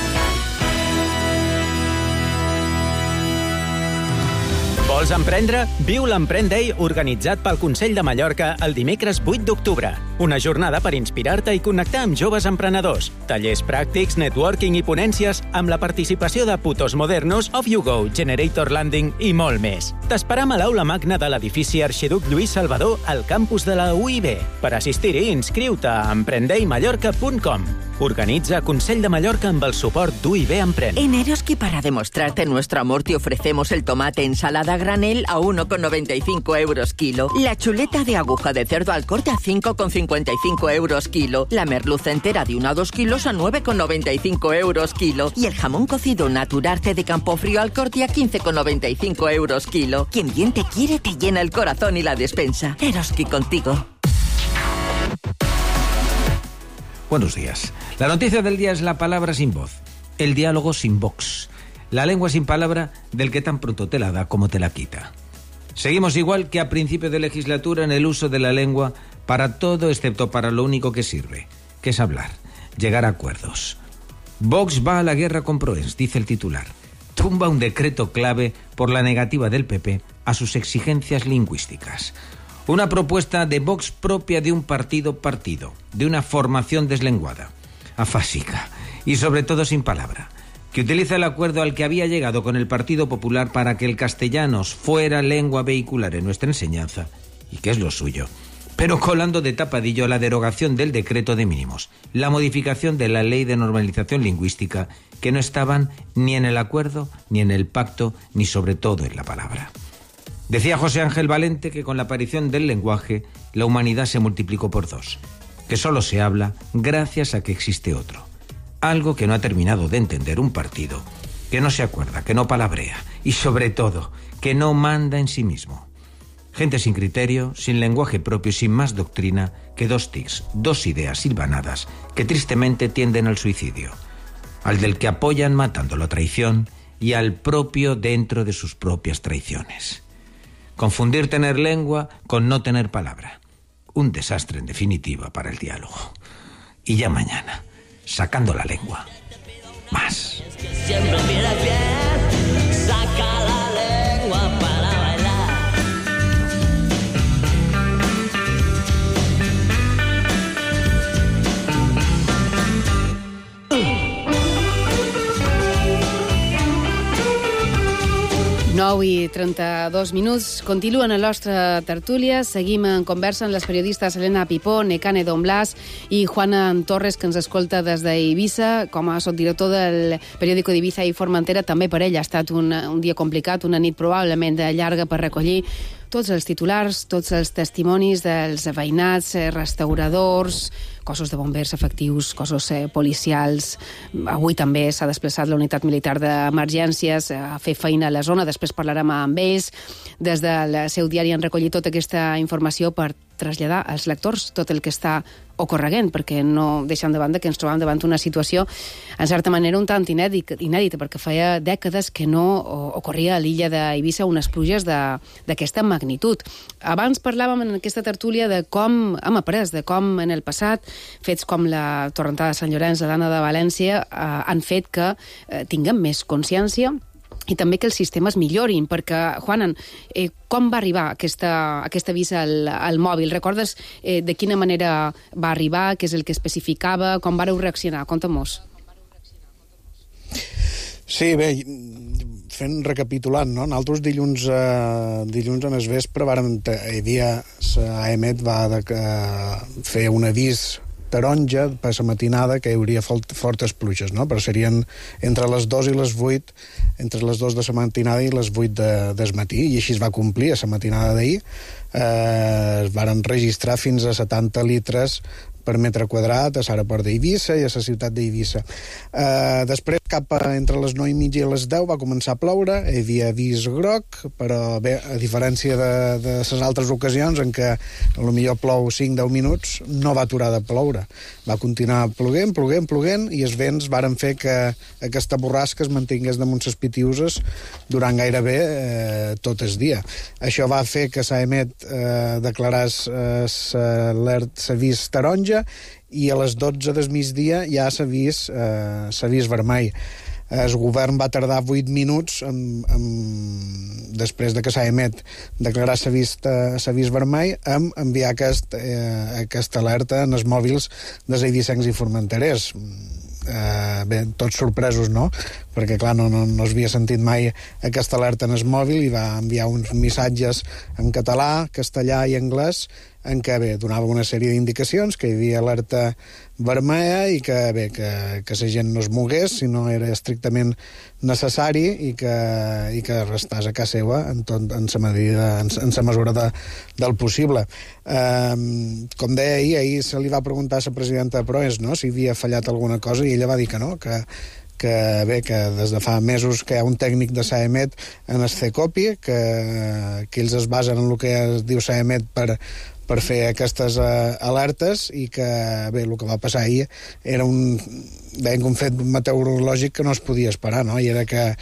Vols emprendre? Viu l'Emprèn Day organitzat pel Consell de Mallorca el dimecres 8 d'octubre. Una jornada per inspirar-te i connectar amb joves emprenedors. Tallers pràctics, networking i ponències amb la participació de Putos Modernos, Off You Go, Generator Landing i molt més. T'esperam a l'aula magna de l'edifici Arxiduc Lluís Salvador al campus de la UIB. Per assistir-hi, inscriu-te a emprendeimallorca.com. Organitza Consell de Mallorca amb el suport d'UIB Emprèn. En Eroski, para demostrarte nuestro amor, te ofrecemos el tomate ensalada granel a 1,95 euros kilo. La chuleta de aguja de cerdo al corte a 5,55 euros kilo. La merluza entera de 1 a 2 kilos a 9,95 euros kilo. Y el jamón cocido Naturarte de Campofrío al corte a 15,95 euros kilo. Quien bien te quiere te llena el corazón y la despensa. Eroski contigo. Buenos días. La noticia del día es la palabra sin voz, el diálogo sin Vox, la lengua sin palabra del que tan pronto te la da como te la quita. Seguimos igual que a principio de legislatura en el uso de la lengua para todo excepto para lo único que sirve, que es hablar, llegar a acuerdos. Vox va a la guerra con Proens, dice el titular. Tumba un decreto clave por la negativa del PP a sus exigencias lingüísticas. Una propuesta de Vox propia de un partido, de una formación deslenguada, afásica y sobre todo sin palabra, que utiliza el acuerdo al que había llegado con el Partido Popular para que el castellano fuera lengua vehicular en nuestra enseñanza, y que es lo suyo, pero colando de tapadillo la derogación del decreto de mínimos, la modificación de la ley de normalización lingüística, que no estaban ni en el acuerdo, ni en el pacto, ni sobre todo en la palabra. Decía José Ángel Valente que con la aparición del lenguaje, la humanidad se multiplicó por 2, que solo se habla gracias a que existe otro. Algo que no ha terminado de entender un partido, que no se acuerda, que no palabrea y sobre todo, que no manda en sí mismo. Gente sin criterio, sin lenguaje propio y sin más doctrina que 2 tics, 2 ideas hilvanadas que tristemente tienden al suicidio. Al del que apoyan matando la traición y al propio dentro de sus propias traiciones. Confundir tener lengua con no tener palabra. Un desastre en definitiva para el diálogo. Y ya mañana, sacando la lengua, más. Siempre piedras bien, saca la lengua para bailar. I 32 minuts. Continuen a la nostra tertúlia. Seguim en conversa amb les periodistes Elena Pipó, Nekane Don Blas i Juana Torres, que ens escolta des d'Eivissa. Com a subdirector del periòdico d'Eivissa i Formentera, també per ell ha estat un dia complicat, una nit probablement llarga per recollir tots els titulars, tots els testimonis dels veïnats, restauradors, cossos de bombers efectius, cossos policials. Avui també s'ha desplaçat la unitat militar d'emergències a fer feina a la zona, després parlarem amb ells. Des del seu diari han recollit tota aquesta informació per traslladar als lectors tot el que està ocorreguent, perquè no deixem de banda que ens trobam davant una situació, en certa manera, un tant inèdita, perquè feia dècades que no ocorria a l'illa d'Eivissa unes pluges d'aquesta magnitud. Abans parlàvem en aquesta tertúlia de com hem après, de com en el passat fets com la torrentada de Sant Llorenç, l'Anna de València, han fet que tinguem més consciència i també que els sistemes millorin, perquè, Juanan, com va arribar aquest avís al mòbil? Recordes de quina manera va arribar, què és el que especificava, com vareu reaccionar? Conta-mos. Sí, bé, recapitulant, no? Nosaltres dilluns en el vespre AEMET va fer un avís taronja per la matinada que hi hauria fortes pluges, no? Però serien entre les 2 i les 8, entre les 2 de la matinada i les 8 del matí, i així es va complir a la matinada d'ahir. Es varen registrar fins a 70 litres per metre quadrat a l'aeroport d'Eivissa i a la ciutat d'Eivissa. Després, entre les 9 i mitja i les 10 va començar a ploure, hi havia avís groc, però bé, a diferència de les altres ocasions en què potser plou 5-10 minuts, no va aturar de ploure. Va continuar ploguent, i els vents varen fer que aquesta borrasca es mantingués damunt les Pitiuses durant gairebé tot el dia. Això va fer que s'AEMET declarés l'avís taronja, i a les 12 del migdia ja s'ha vist vermell. El govern va tardar 8 minuts després de que s'AEMET declarés l'avís vermell en enviar aquesta alerta en els mòbils dels eivissencs i formenterers. Bé, tots sorpresos, no? Perquè, clar, no s'havia sentit mai aquesta alerta en el mòbil, i va enviar uns missatges en català, castellà i anglès, en què donava una sèrie d'indicacions, que hi havia alerta vermella i que la gent no es mogués si no era estrictament necessari i que restàs a casa seva en la mesura del possible. Com deia ahir se li va preguntar a la presidenta de Proes, no?, si havia fallat alguna cosa, i ella va dir que no, que des de fa mesos que hi ha un tècnic de SAEMET en el CECOPI, que ells es basen en el que es diu SAEMET per fer aquestes alertes, i que, el que va passar ahir era un fet meteorològic que no es podia esperar, no? I era que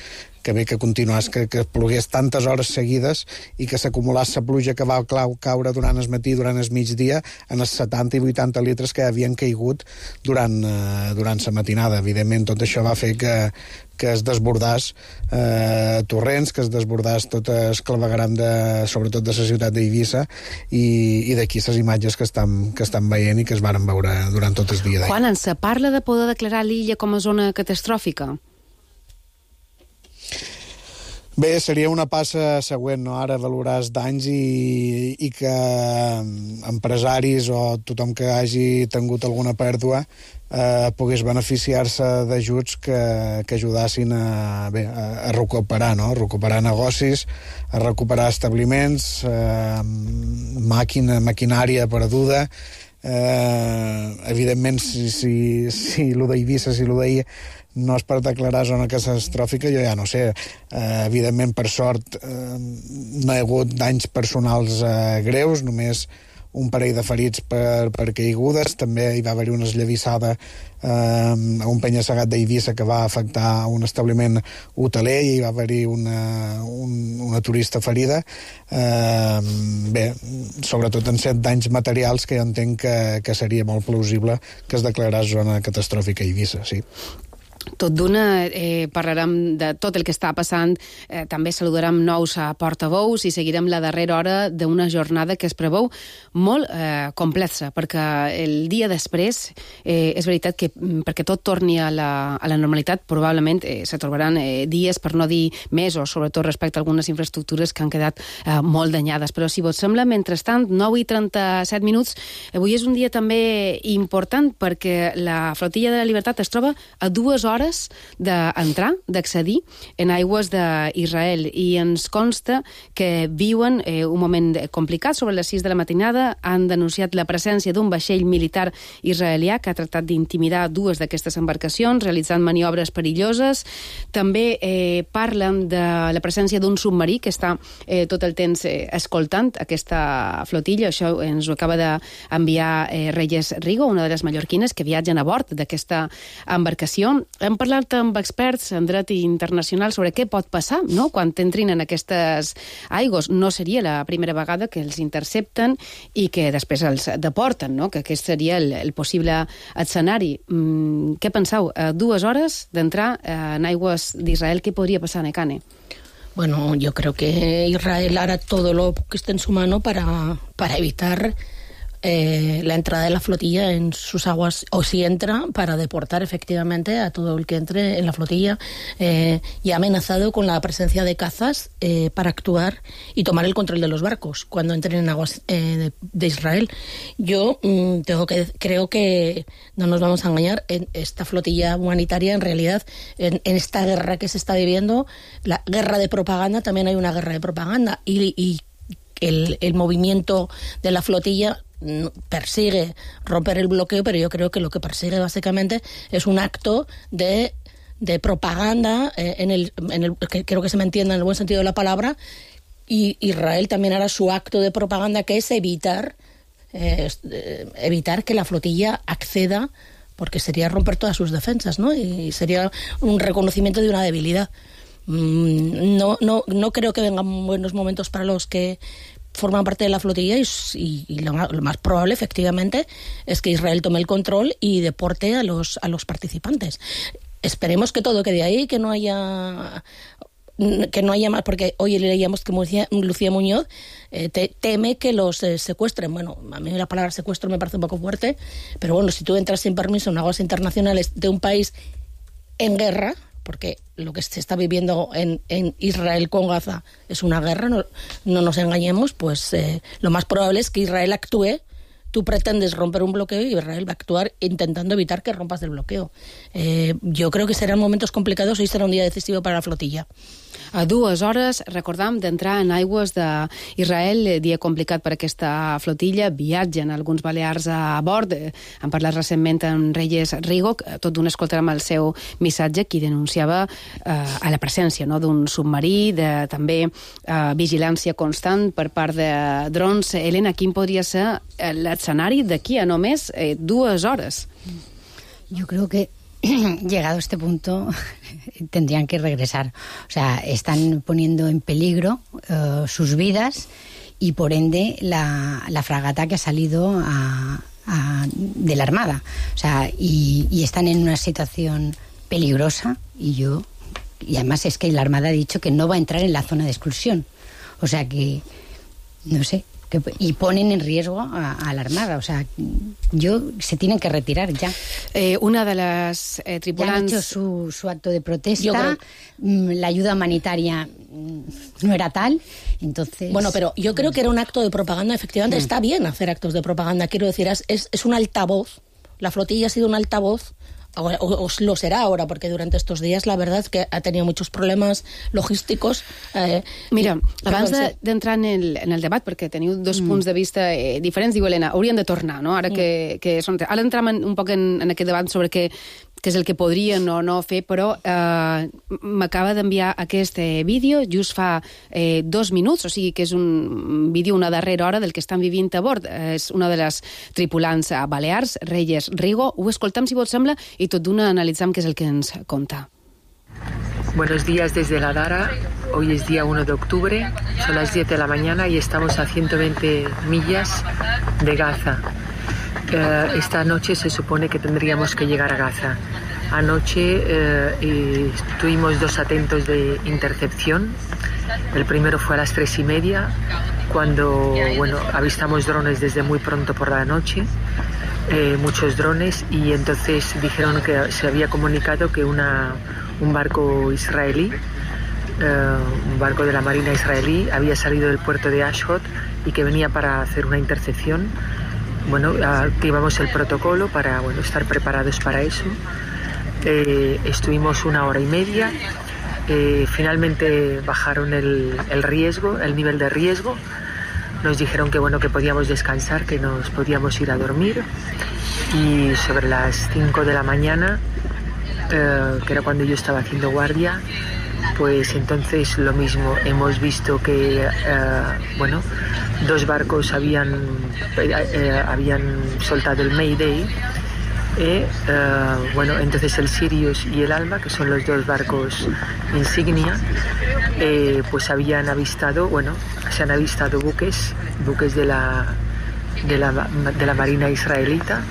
continués, que plogués tantes hores seguides i que s'acumulés la pluja que va caure durant el matí, durant el migdia, en els 70 i 80 litres que havien caigut durant la matinada. Evidentment, tot això va fer que es desbordàs torrents, que es desbordàs tot el clavegueram sobretot de la ciutat d'Eivissa, i d'aquí les imatges que estan veient i que es varen veure durant tot el dia d'ahir. Quan se parla de poder declarar l'illa com a zona catastròfica? Bé, seria una passa següent, no? Ara valorar els danys i que empresaris o tothom que hagi tingut alguna pèrdua pogués beneficiar-se d'ajuts que ajudassin a recuperar, no? A recuperar negocis, a recuperar establiments, maquinària perduda. Evidentment, si lo d'Eivissa, si lo d'ahir no és per declarar zona catastròfica, jo ja no sé. Evidentment, per sort, no hi ha hagut danys personals greus, només un parell de ferits per caigudes. També hi va haver una esllavissada a un penya-segat d'Eivissa que va afectar un establiment hoteler i hi va haver-hi una turista ferida. Sobretot en 7 danys materials que jo entenc que seria molt plausible que es declarés zona catastròfica a Eivissa, sí. Tot d'una, parlarem de tot el que està passant, també saludarem nous portaveus i seguirem la darrera hora d'una jornada que es preveu molt complexa, perquè el dia després és veritat que perquè tot torni a la normalitat probablement se trobaran dies, per no dir mesos, sobretot respecte a algunes infraestructures que han quedat molt danyades. Però si vos sembla, mentrestant, 9:37, avui és un dia també important perquè la Flotilla de la Libertat es troba a 2 hores d'entrar, d'accedir en aigües d'Israel, i ens consta que viuen un moment complicat. Sobre les 6 de la matinada han denunciat la presència d'un vaixell militar israelià que ha tractat d'intimidar 2 d'aquestes embarcacions, realitzant maniobres perilloses. També parlen de la presència d'un submarí que està tot el temps escoltant aquesta flotilla. Això ens ho acaba d'enviar Reyes Rigo, una de les mallorquines que viatgen a bord d'aquesta embarcació. Hem parlat amb experts en dret internacional sobre què pot passar, no?, quan entrin en aquestes aigües. No seria la primera vegada que els intercepten i que després els deporten, no?, que aquest seria el possible escenari. Què penseu? 2 hores d'entrar en aigües d'Israel, què podria passar, Nekane? Bueno, yo creo que Israel hará todo lo que esté en su mano para evitar la entrada de la flotilla en sus aguas, o si entra, para deportar efectivamente a todo el que entre en la flotilla, y ha amenazado con la presencia de cazas para actuar y tomar el control de los barcos cuando entren en aguas de Israel. Yo creo que no nos vamos a engañar, en esta flotilla humanitaria, en realidad, en esta guerra que se está viviendo, la guerra de propaganda, también hay una guerra de propaganda, y el movimiento de la flotilla persigue romper el bloqueo, pero yo creo que lo que persigue básicamente es un acto de propaganda, que creo que se me entienda en el buen sentido de la palabra, y Israel también hará su acto de propaganda, que es evitar que la flotilla acceda, porque sería romper todas sus defensas, ¿no? Y sería un reconocimiento de una debilidad. No creo que vengan buenos momentos para los que forman parte de la flotilla, y lo más probable, efectivamente, es que Israel tome el control y deporte a los participantes. Esperemos que todo quede ahí, que no haya más, porque hoy leíamos que Lucía Muñoz teme que los secuestren. Bueno, a mí la palabra secuestro me parece un poco fuerte, pero bueno, si tú entras sin permiso en aguas internacionales de un país en guerra, porque lo que se está viviendo en Israel con Gaza es una guerra, no nos engañemos, pues lo más probable es que Israel actúe. Tú pretendes romper un bloqueo y Israel va a actuar intentando evitar que rompas el bloqueo. Yo creo que serán momentos complicados, hoy será un día decisivo para la flotilla. A 2 hores, recordam, d'entrar en aigües d'Israel, dia complicat per aquesta flotilla, viatgen alguns balears a bord, han parlat recentment amb Reyes Rigo, tot d'una escoltarem el seu missatge, qui denunciava a la presència d'un submarí, de també vigilància constant per part de drons. Elena, quin podria ser l'escenari d'aquí a només 2 hores? Jo creo que llegado a este punto tendrían que regresar. O sea, están poniendo en peligro sus vidas y por ende la fragata que ha salido de la Armada. O sea, y están en una situación peligrosa y además es que la Armada ha dicho que no va a entrar en la zona de exclusión. O sea que, no sé, y ponen en riesgo a la Armada. O sea, se tienen que retirar ya. Una de las tripulants... Ya han hecho su acto de protesta, la ayuda humanitaria no era tal, entonces... Bueno, pero yo creo que era un acto de propaganda, efectivamente. Está bien hacer actos de propaganda, quiero decir, es un altavoz. La flotilla ha sido un altavoz, o lo será ahora, porque durante estos días la verdad es que ha tenido muchos problemes logísticos. Mira, abans d'entrar en el debat, perquè teniu dos punts de vista diferents, diu Helena, haurien de tornar, no? Ara que són... Ara entrem un poc en aquest debat sobre què és el que podrien o no fer, però m'acaba d'enviar aquest vídeo just fa 2 minuts, o sigui que és un vídeo una darrera hora del que estan vivint a bord. És una de les tripulants balears, Reyes Rigo. Ho escoltem, si vos sembla, i tot d'una analitzam què és el que ens conta. Buenos días desde la Dara. Hoy es día 1 de octubre, son las 10 de la mañana y estamos a 120 millas de Gaza. Esta noche se supone que tendríamos que llegar a Gaza. Anoche tuvimos 2 atentos de intercepción. El primero fue a las 3:30, cuando avistamos drones desde muy pronto por la noche, muchos drones, y entonces dijeron que se había comunicado que un barco israelí, un barco de la Marina israelí, había salido del puerto de Ashdod y que venía para hacer una intercepción. Activamos el protocolo para estar preparados para eso. Estuvimos 1 hora y media. Finalmente bajaron el nivel de riesgo. Nos dijeron que podíamos descansar, que nos podíamos ir a dormir. Y sobre las 5 de la mañana, que era cuando yo estaba haciendo guardia, pues entonces lo mismo. Hemos visto que 2 barcos habían soltado el Mayday. Entonces el Sirius y el Alma, que son los 2 barcos insignia, pues se han avistado buques de la Marina israelita,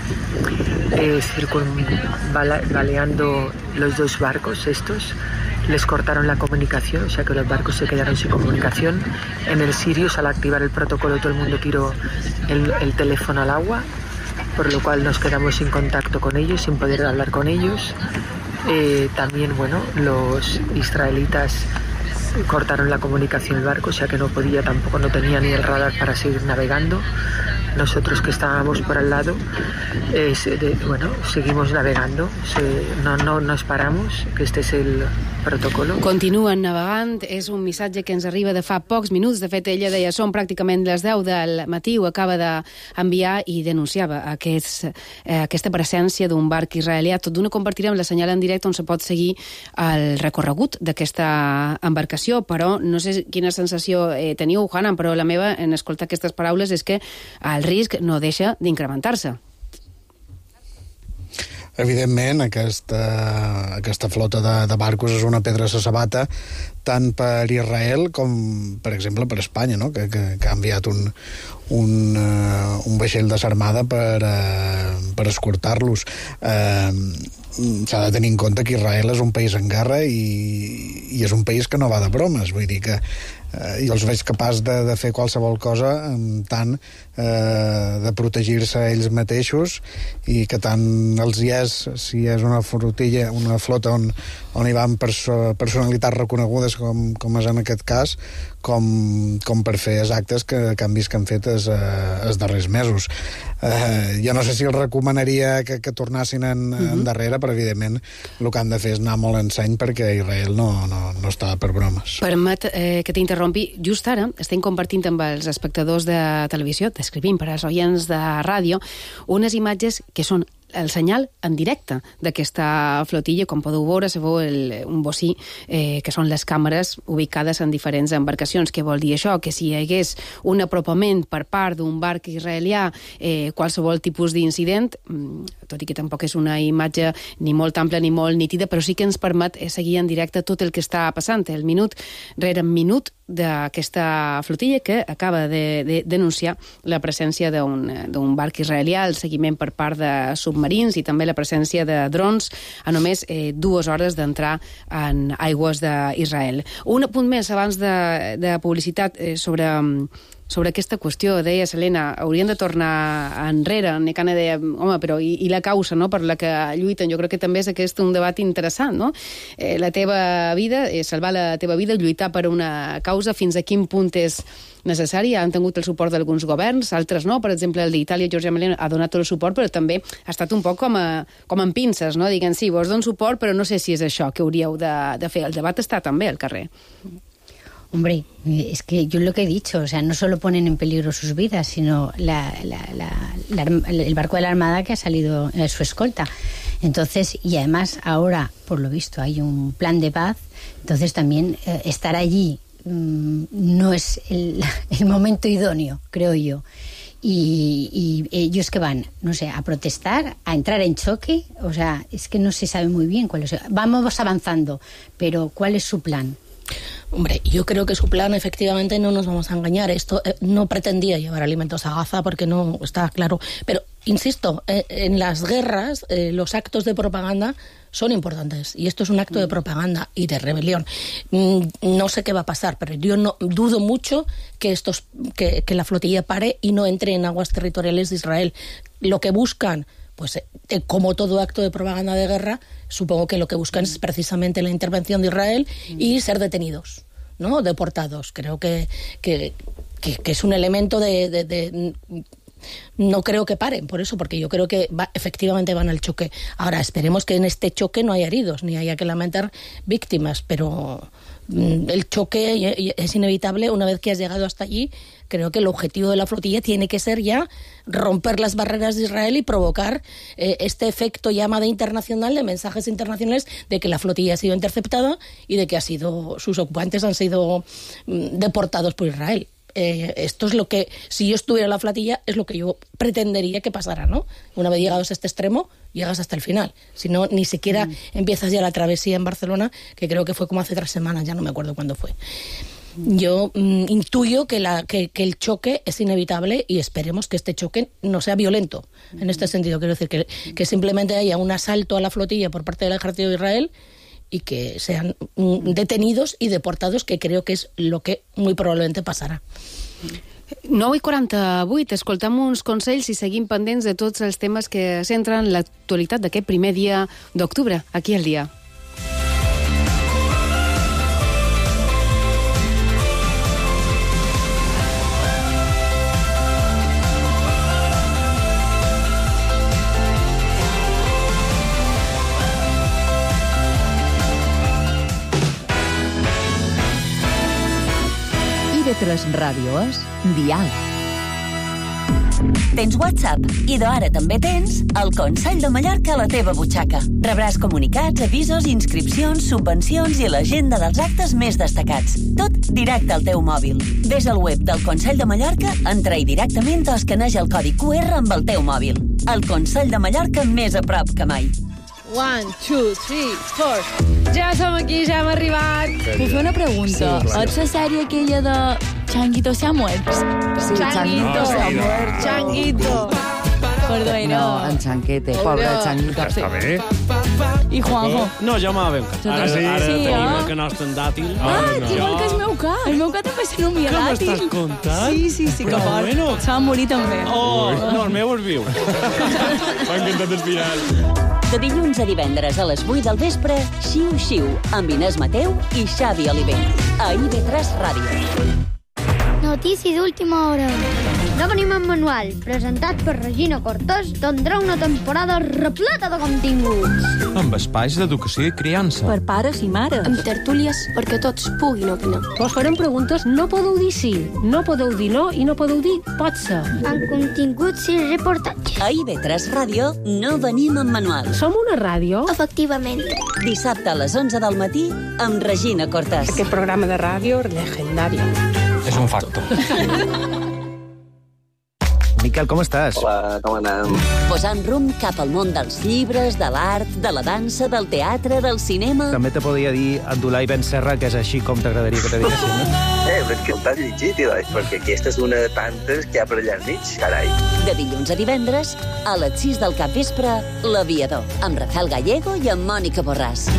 baleando los 2 barcos estos. Les cortaron la comunicación, o sea que los barcos se quedaron sin comunicación. En el Sirius, al activar el protocolo, todo el mundo tiró el teléfono al agua, por lo cual nos quedamos sin contacto con ellos, sin poder hablar con ellos. También, los israelitas cortaron la comunicación del barco, o sea que no tenía ni el radar para seguir navegando. Nosotros que estábamos por al lado, seguimos navegando, no nos paramos, que este es el protocolo. Continuen navegant, és un missatge que ens arriba de fa pocs minuts. De fet, ella deia, són pràcticament les 10 del matí, ho acaba d'enviar i denunciava aquesta presència d'un barc israelià. Tot d'una compartirem la senyal en directe on se pot seguir el recorregut d'aquesta embarcació, però no sé quina sensació teniu, Hanan, però la meva, en escoltar aquestes paraules, és que el risc no deixa d'incrementar-se. Evidentment, aquesta flota de barcos és una pedra a la sabata, tant per Israel com, per exemple, per Espanya, no? que ha enviat un vaixell de s'armada per escortar-los. S'ha de tenir en compte que Israel és un país en guerra i és un país que no va de bromes, vull dir que jo els veig capaç de fer qualsevol cosa amb tant de protegir-se ells mateixos i que tant els hi és, si és una flotilla, una flota on hi van personalitats reconegudes com és en aquest cas, com per fer els actes que canvis que han fet els darrers mesos. Jo no sé si els recomanaria que tornassin endarrere, però evidentment el que han de fer és anar molt en seny perquè Israel no està per bromes. Permet que t'interrompi. Just ara estem compartint amb els espectadors de televisió, descrivint per als oients de ràdio, unes imatges que són el senyal en directe d'aquesta flotilla. Com podeu veure, se veu un bocí, que són les càmeres ubicades en diferents embarcacions. Què vol dir això? Que si hi hagués un apropament per part d'un barc israelià, qualsevol tipus d'incident, tot i que tampoc és una imatge ni molt ampla ni molt nítida, però sí que ens permet seguir en directe tot el que està passant, el minut rere minut d'aquesta flotilla que acaba de denunciar la presència d'un barc israelià, el seguiment per part de submarins i també la presència de drons a només 2 hores d'entrar en aigües d'Israel. Un apunt més abans de publicitat sobre aquesta qüestió. Deia Helena, haurien de tornar enrere. Necana deia, home, però i la causa, no?, per la que lluiten? Jo crec que també és aquest un debat interessant, no? La teva vida, salvar la teva vida, lluitar per una causa, fins a quin punt és necessari. Han tingut el suport d'alguns governs, altres no. Per exemple, el d'Itàlia, Giorgia Meloni, ha donat tot el suport, però també ha estat un poc com en pinces, no? Diguen, sí, vos dono suport, però no sé si és això que hauríeu de fer. El debat està també al carrer. Hombre, es que yo lo que he dicho, o sea, no solo ponen en peligro sus vidas, sino el barco de la Armada que ha salido su escolta. Entonces, y además ahora, por lo visto, hay un plan de paz, entonces también estar allí no es el momento idóneo, creo yo. Y ellos que van, no sé, a protestar, a entrar en choque, o sea, es que no se sabe muy bien cuál es. Vamos avanzando, pero ¿cuál es su plan? Hombre, yo creo que su plan, efectivamente, no nos vamos a engañar. Esto no pretendía llevar alimentos a Gaza porque no está claro. Pero, insisto, en las guerras los actos de propaganda son importantes. Y esto es un acto de propaganda y de rebelión. No sé qué va a pasar, pero yo no dudo mucho que la flotilla pare y no entre en aguas territoriales de Israel. Lo que buscan, pues como todo acto de propaganda de guerra, supongo que lo que buscan es precisamente la intervención de Israel y ser detenidos, ¿no? Deportados. Creo que es un elemento de no creo que paren por eso, porque yo creo que efectivamente van al choque. Ahora, esperemos que en este choque no haya heridos, ni haya que lamentar víctimas, pero el choque es inevitable. Una vez que has llegado hasta allí, creo que el objetivo de la flotilla tiene que ser ya romper las barreras de Israel y provocar este efecto llamada internacional, de mensajes internacionales de que la flotilla ha sido interceptada y de que sus ocupantes han sido deportados por Israel. Esto es lo que, si yo estuviera en la flotilla, es lo que yo pretendería que pasara, ¿no? Una vez llegados a este extremo, llegas hasta el final. Si no, ni siquiera empiezas ya la travesía en Barcelona, que creo que fue como hace 3 semanas, ya no me acuerdo cuándo fue. Yo intuyo que el choque es inevitable y esperemos que este choque no sea violento. En este sentido, quiero decir que simplemente haya un asalto a la flotilla por parte del ejército de Israel y que sean detenidos i deportados, que creo que és lo que muy probablemente passarà. 9:48, escoltam uns consells i seguim pendents de tots els temes que centren l'actualitat d'aquest primer dia d'octubre, aquí al dia. TV3 Ràdio és Dial. Tens WhatsApp i d'ara també tens el Consell de Mallorca a la teva butxaca. Rebràs comunicats, avisos, inscripcions, subvencions i l'agenda dels actes més destacats. Tot directe al teu mòbil. Ves al web del Consell de Mallorca, entra-hi directament o escaneja el codi QR amb el teu mòbil. El Consell de Mallorca més a prop que mai. 1, 2, 3, 4. Ja som aquí, ja hem arribat. Puc fer una pregunta? Sí, clar. Ets la sèrie aquella de Changuito se ha muerto? Sí, Changuito se ha muerto. Changuito. Perdó, No, en Chanquete, pobre Changuito. Està bé. I Juanjo? No, jo m'ha ben Ara tenim el que nostre en dàtil. Igual que el meu ca. El meu ca també se nomia Què dàtil. m'estàs contant? Sí, que Però fort. bueno. Se va morir també. Oh, no, el meu és viu. M'ha encantat el final. De dilluns a divendres a les 8 del vespre, Xiu Xiu, amb Inés Mateu i Xavi Oliver. A IB3 Ràdio. Notícia d'última hora. No venim en manual, presentat per Regina Cortés, tindrà una temporada repleta de continguts. Amb espais d'educació i criança. Per pares i mares. Amb tertúlies perquè tots puguin opinar. Vos farem preguntes, no podeu dir sí, no podeu dir no i no podeu dir pot ser. Amb continguts i reportatges. A IB3 Ràdio no venim en manual. Som una ràdio? Efectivament. Dissabte a les 11 del matí amb Regina Cortés. Aquest programa de ràdio legendari. És un facto. Miquel, com estàs? Hola, com anem? Posant rumb cap al món dels llibres, de l'art, de la dansa, del teatre, del cinema... També te podria dir Abdulai Ben Serra, que és així com t'agradaria que te diguessin, no? Però que t'has llegit, perquè aquesta és una de tantes que hi ha per allà al mig, carai. De dilluns a divendres, a les 6 del capvespre, L'Aviador, amb Rafael Gallego i amb Mònica Borràs.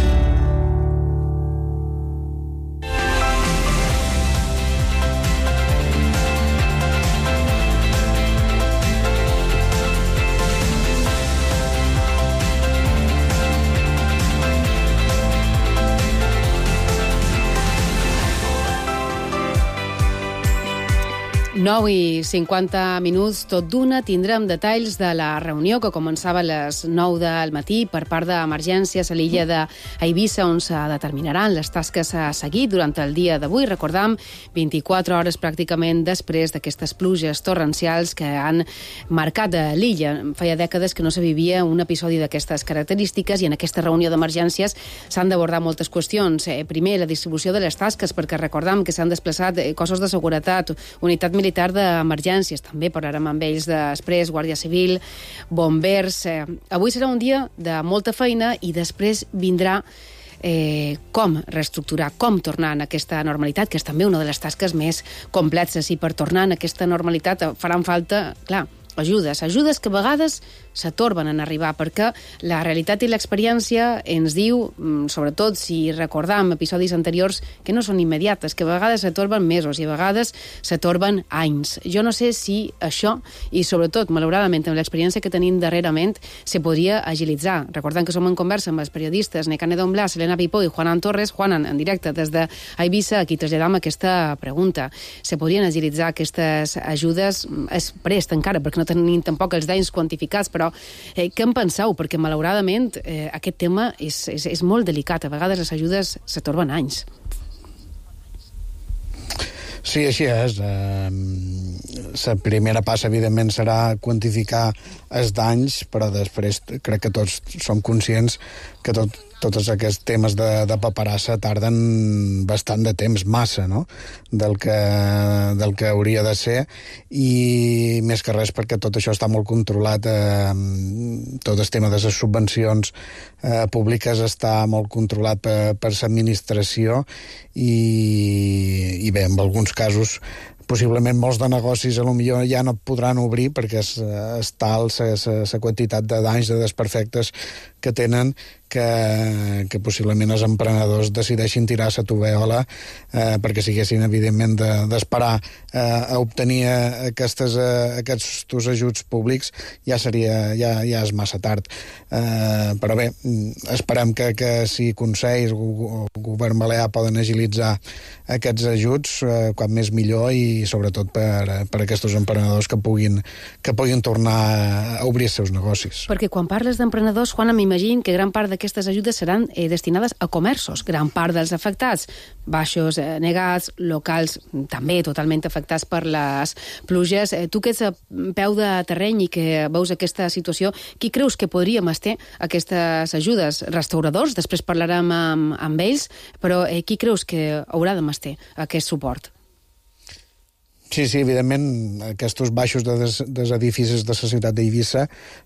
I 50 minuts, tot d'una, tindrem detalls de la reunió que començava a les 9 del matí per part d'emergències a l'illa d'Eivissa, on se determinaran les tasques a seguir durant el dia d'avui. Recordam, 24 hores pràcticament després d'aquestes pluges torrencials que han marcat l'illa. Feia dècades que no se vivia un episodi d'aquestes característiques i en aquesta reunió d'emergències s'han d'abordar moltes qüestions. Primer, la distribució de les tasques, perquè recordam que s'han desplaçat cossos de seguretat, unitat militar d'emergències, també parlarem amb ells després, Guàrdia Civil, bombers... Avui serà un dia de molta feina i després vindrà com reestructurar, com tornar en aquesta normalitat, que és també una de les tasques més complexes, i per tornar en aquesta normalitat faran falta, clar, ajudes que a vegades s'atorben en arribar, perquè la realitat i l'experiència ens diu, sobretot si recordam episodis anteriors, que no són immediates, que a vegades s'atorben mesos i a vegades s'atorben anys. Jo no sé si això, i sobretot, malauradament, amb l'experiència que tenim darrerament, se podria agilitzar. Recordant que som en conversa amb els periodistes Nekane Don Blas, Elena Pipó i Juanan Torres, Juanan, en directe des d'Eivissa, aquí traslladam aquesta pregunta. Se podrien agilitzar aquestes ajudes? És prest encara, perquè no tenim tampoc els danys quantificats, però què en penseu? Perquè malauradament aquest tema és molt delicat. A vegades les ajudes s'atorben anys. Sí, així és. La primera passa, evidentment, serà quantificar els danys, però després crec que tots som conscients que tots aquests temes de paperassa tarden bastant de temps, massa, no?, del que hauria de ser, i més que res perquè tot això està molt controlat. Tot el tema de les subvencions públiques està molt controlat per l'administració i bé, en alguns casos possiblement molts de negocis potser ja no podran obrir perquè és tal la quantitat de danys, de desperfectes que tenen, que possiblement els emprenedors decideixin tirar la tovallola perquè siguessin, evidentment, d'esperar a obtenir aquests ajuts públics ja és massa tard. Però bé, esperem que si Consells o Govern Balear poden agilitzar aquests ajuts, quan més millor, i sobretot per aquests emprenedors que puguin tornar a obrir els seus negocis. Perquè quan parles d'emprenedors, Juana, m'imagino que gran part d'aquestes ajudes seran destinades a comerços. Gran part dels afectats, baixos, negats, locals també totalment afectats per les pluges. Tu que ets a peu de terreny i que veus aquesta situació, qui creus que podríem estar aquestes ajudes? Restauradors? Després parlarem amb ells, però qui creus que haurà de estar aquest suport? Sí, evidentment, aquests baixos dels edificis de la ciutat d'Eivissa,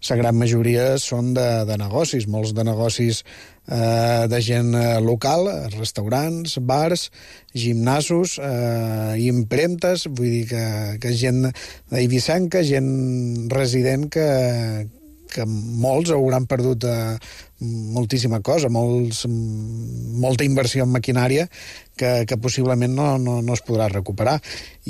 la gran majoria són de negocis, molts de negocis de gent local, restaurants, bars, gimnasos, impremtes, vull dir que gent d'eivissenca, gent resident que molts hauran perdut moltíssima cosa, molta inversió en maquinària que possiblement no es podrà recuperar.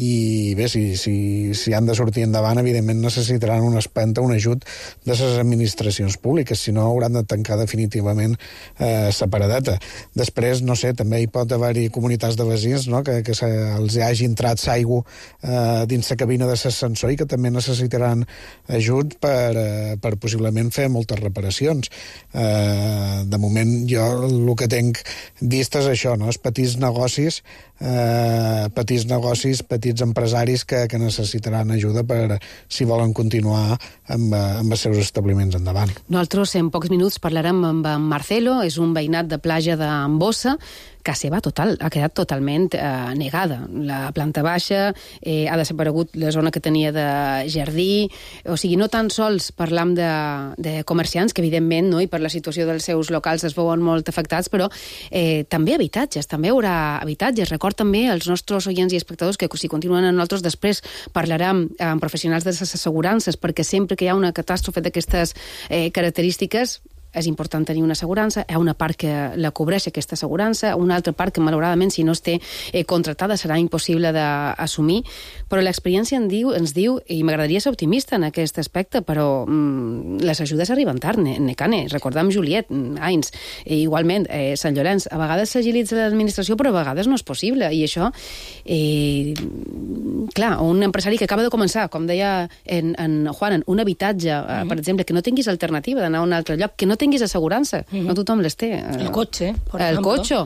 I bé, si han de sortir endavant, evidentment necessitaran una espenta, un ajut de les administracions públiques, si no hauran de tancar definitivament la paradeta. Després, no sé, també hi pot haver-hi comunitats de veïns, no?, que els hagi entrat l'aigua dins la cabina de l'ascensor i que també necessitaran ajut per possiblement fer moltes reparacions. De moment jo el que tenc vist és això, no?, els petits negocis, petits empresaris que necessitaran ajuda per si volen continuar amb els seus establiments endavant. Nosaltres en pocs minuts parlarem amb en Marcelo, és un veïnat de platja d'Ambossa. Casa seva ha quedat totalment negada. La planta baixa ha desaparegut la zona que tenia de jardí, o sigui, no tan sols parlam de comerciants, que evidentment, no, i per la situació dels seus locals es veuen molt afectats, però també habitatges, també hi haurà habitatges. Record també als nostres oients i espectadors que si continuen amb nosaltres després parlarem amb professionals de les assegurances, perquè sempre que hi ha una catàstrofe d'aquestes característiques és important tenir una assegurança. Hi ha una part que la cobreix aquesta assegurança, una altra part que malauradament si no es té contractada serà impossible d'assumir, però l'experiència ens diu, i m'agradaria ser optimista en aquest aspecte, però les ajudes arriben tard, Necane. Recordem Juliet, Ains, igualment Sant Llorenç. A vegades s'agilitza l'administració, però a vegades no és possible, i això clar, un empresari que acaba de començar, com deia en Juan, un habitatge, per exemple, que no tinguis alternativa d'anar a un altre lloc, que no tinguis assegurança, no tothom les té. El cotxe, por el ejemplo. Coche.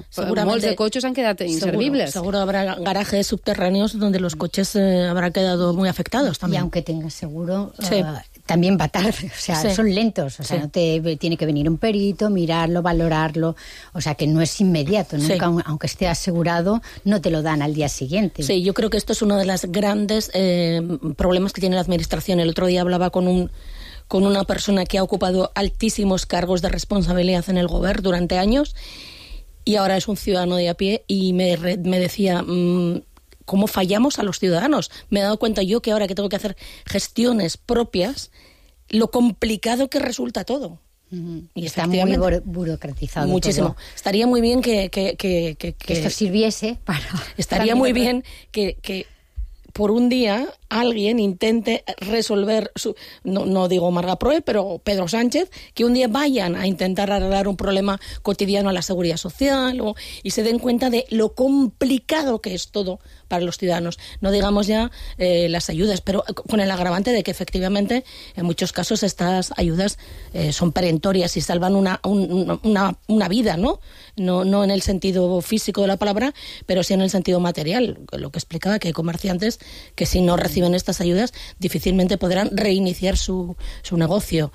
Molts de cotxes han quedat inservibles. Seguro habrá garajes subterráneos donde los coches habrán quedado muy afectados también. Y aunque tengas seguro, también va tarde, o sea, son lentos, o sea, no tiene que venir un perito, mirarlo, valorarlo, o sea, que no es inmediato, nunca, aunque esté asegurado, no te lo dan al día siguiente. Sí, yo creo que esto es uno de los grandes problemas que tiene la administración. El otro día hablaba con una persona que ha ocupado altísimos cargos de responsabilidad en el gobierno durante años y ahora es un ciudadano de a pie y me decía cómo fallamos a los ciudadanos. Me he dado cuenta yo que ahora que tengo que hacer gestiones propias, lo complicado que resulta todo. Y está muy burocratizado. Muchísimo. Todo. Estaría muy bien que esto sirviese para... Estaría muy bien que por un día alguien intente resolver, no digo Marga Proe, pero Pedro Sánchez, que un día vayan a intentar arreglar un problema cotidiano a la seguridad social y se den cuenta de lo complicado que es todo para los ciudadanos. No digamos ya las ayudas, pero con el agravante de que efectivamente en muchos casos estas ayudas son perentorias y salvan una vida, ¿no? No en el sentido físico de la palabra, pero sí en el sentido material. Lo que explicaba, que hay comerciantes que si no reciben estas ayudas difícilmente podrán reiniciar su negocio.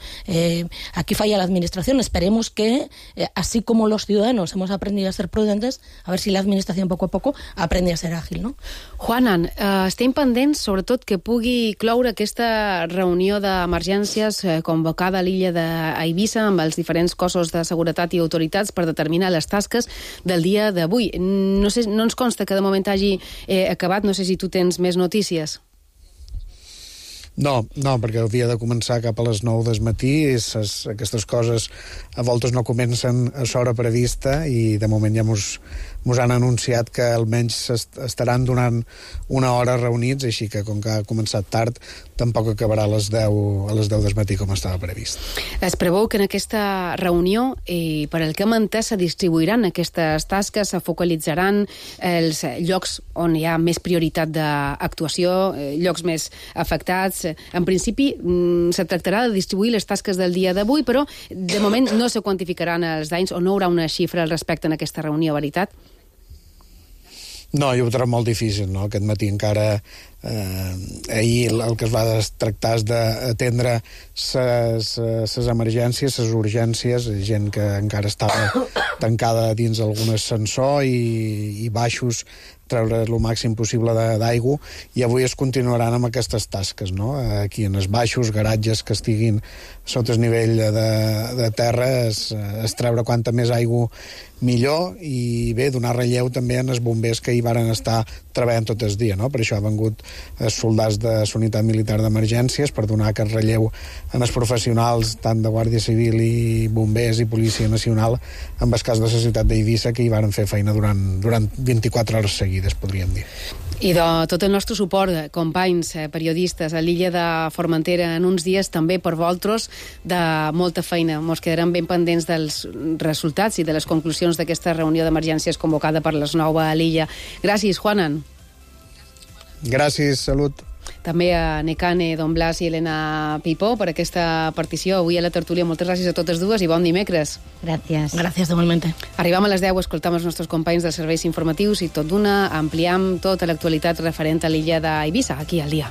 Aquí falla la administración. Esperemos que, así como los ciudadanos hemos aprendido a ser prudentes, a ver si la administración poco a poco aprende a ser ágil, no? Juanan, estem pendents, sobretot, que pugui cloure aquesta reunió d'emergències convocada a l'illa d'Eivissa amb els diferents cossos de seguretat i autoritats per determinar les tasques del dia d'avui. No ens consta que de moment hagi acabat, no sé si tu tens més notícies. No, perquè havia de començar cap a les 9 del matí i aquestes coses a voltes no comencen a l'hora prevista i de moment ja mos han anunciat que almenys estaran donant una hora reunits, així que com que ha començat tard tampoc acabarà a les 10 del matí com estava previst. Es preveu que en aquesta reunió, per el que hem entès, se distribuiran aquestes tasques, se focalitzaran els llocs on hi ha més prioritat d'actuació, llocs més afectats. En principi, se tractarà de distribuir les tasques del dia d'avui, però de moment no se quantificaran els danys o no hi haurà una xifra al respecte en aquesta reunió, veritat? No, jo ho trobo molt difícil, no? Aquest matí encara ahir el que es va tractar és d'atendre les emergències, les urgències, gent que encara estava tancada dins algun ascensor i baixos, treure el màxim possible d'aigua, i avui es continuaran amb aquestes tasques, no? Aquí en els baixos, garatges que estiguin sota el nivell de terra, es treure quanta més aigua millor, i bé, donar relleu també en els bombers que hi varen estar treballant tot el dia, no? Per això han vengut els soldats de la unitat militar d'emergències per donar aquest relleu en els professionals tant de Guàrdia Civil i bombers i Policia Nacional, en el cas de la ciutat d'Eivissa, que hi varen fer feina durant 24 hores seguides, podríem dir. I de tot el nostre suport, companys, periodistes, a l'illa de Formentera en uns dies, també per vosaltres, de molta feina. Ens quedarem ben pendents dels resultats i de les conclusions d'aquesta reunió d'emergències convocada per les 9 a l'illa. Gràcies, Juanan. Gràcies, salut. També a Necane, Don Blas i Elena Pipó per aquesta partició avui a la tertúlia. Moltes gràcies a totes dues i bon dimecres. Gràcies. Gràcies, igualmente. Arribam a les 10, escoltam els nostres companys dels serveis informatius i tot d'una ampliam tota l'actualitat referent a l'illa d'Eivissa, aquí al dia.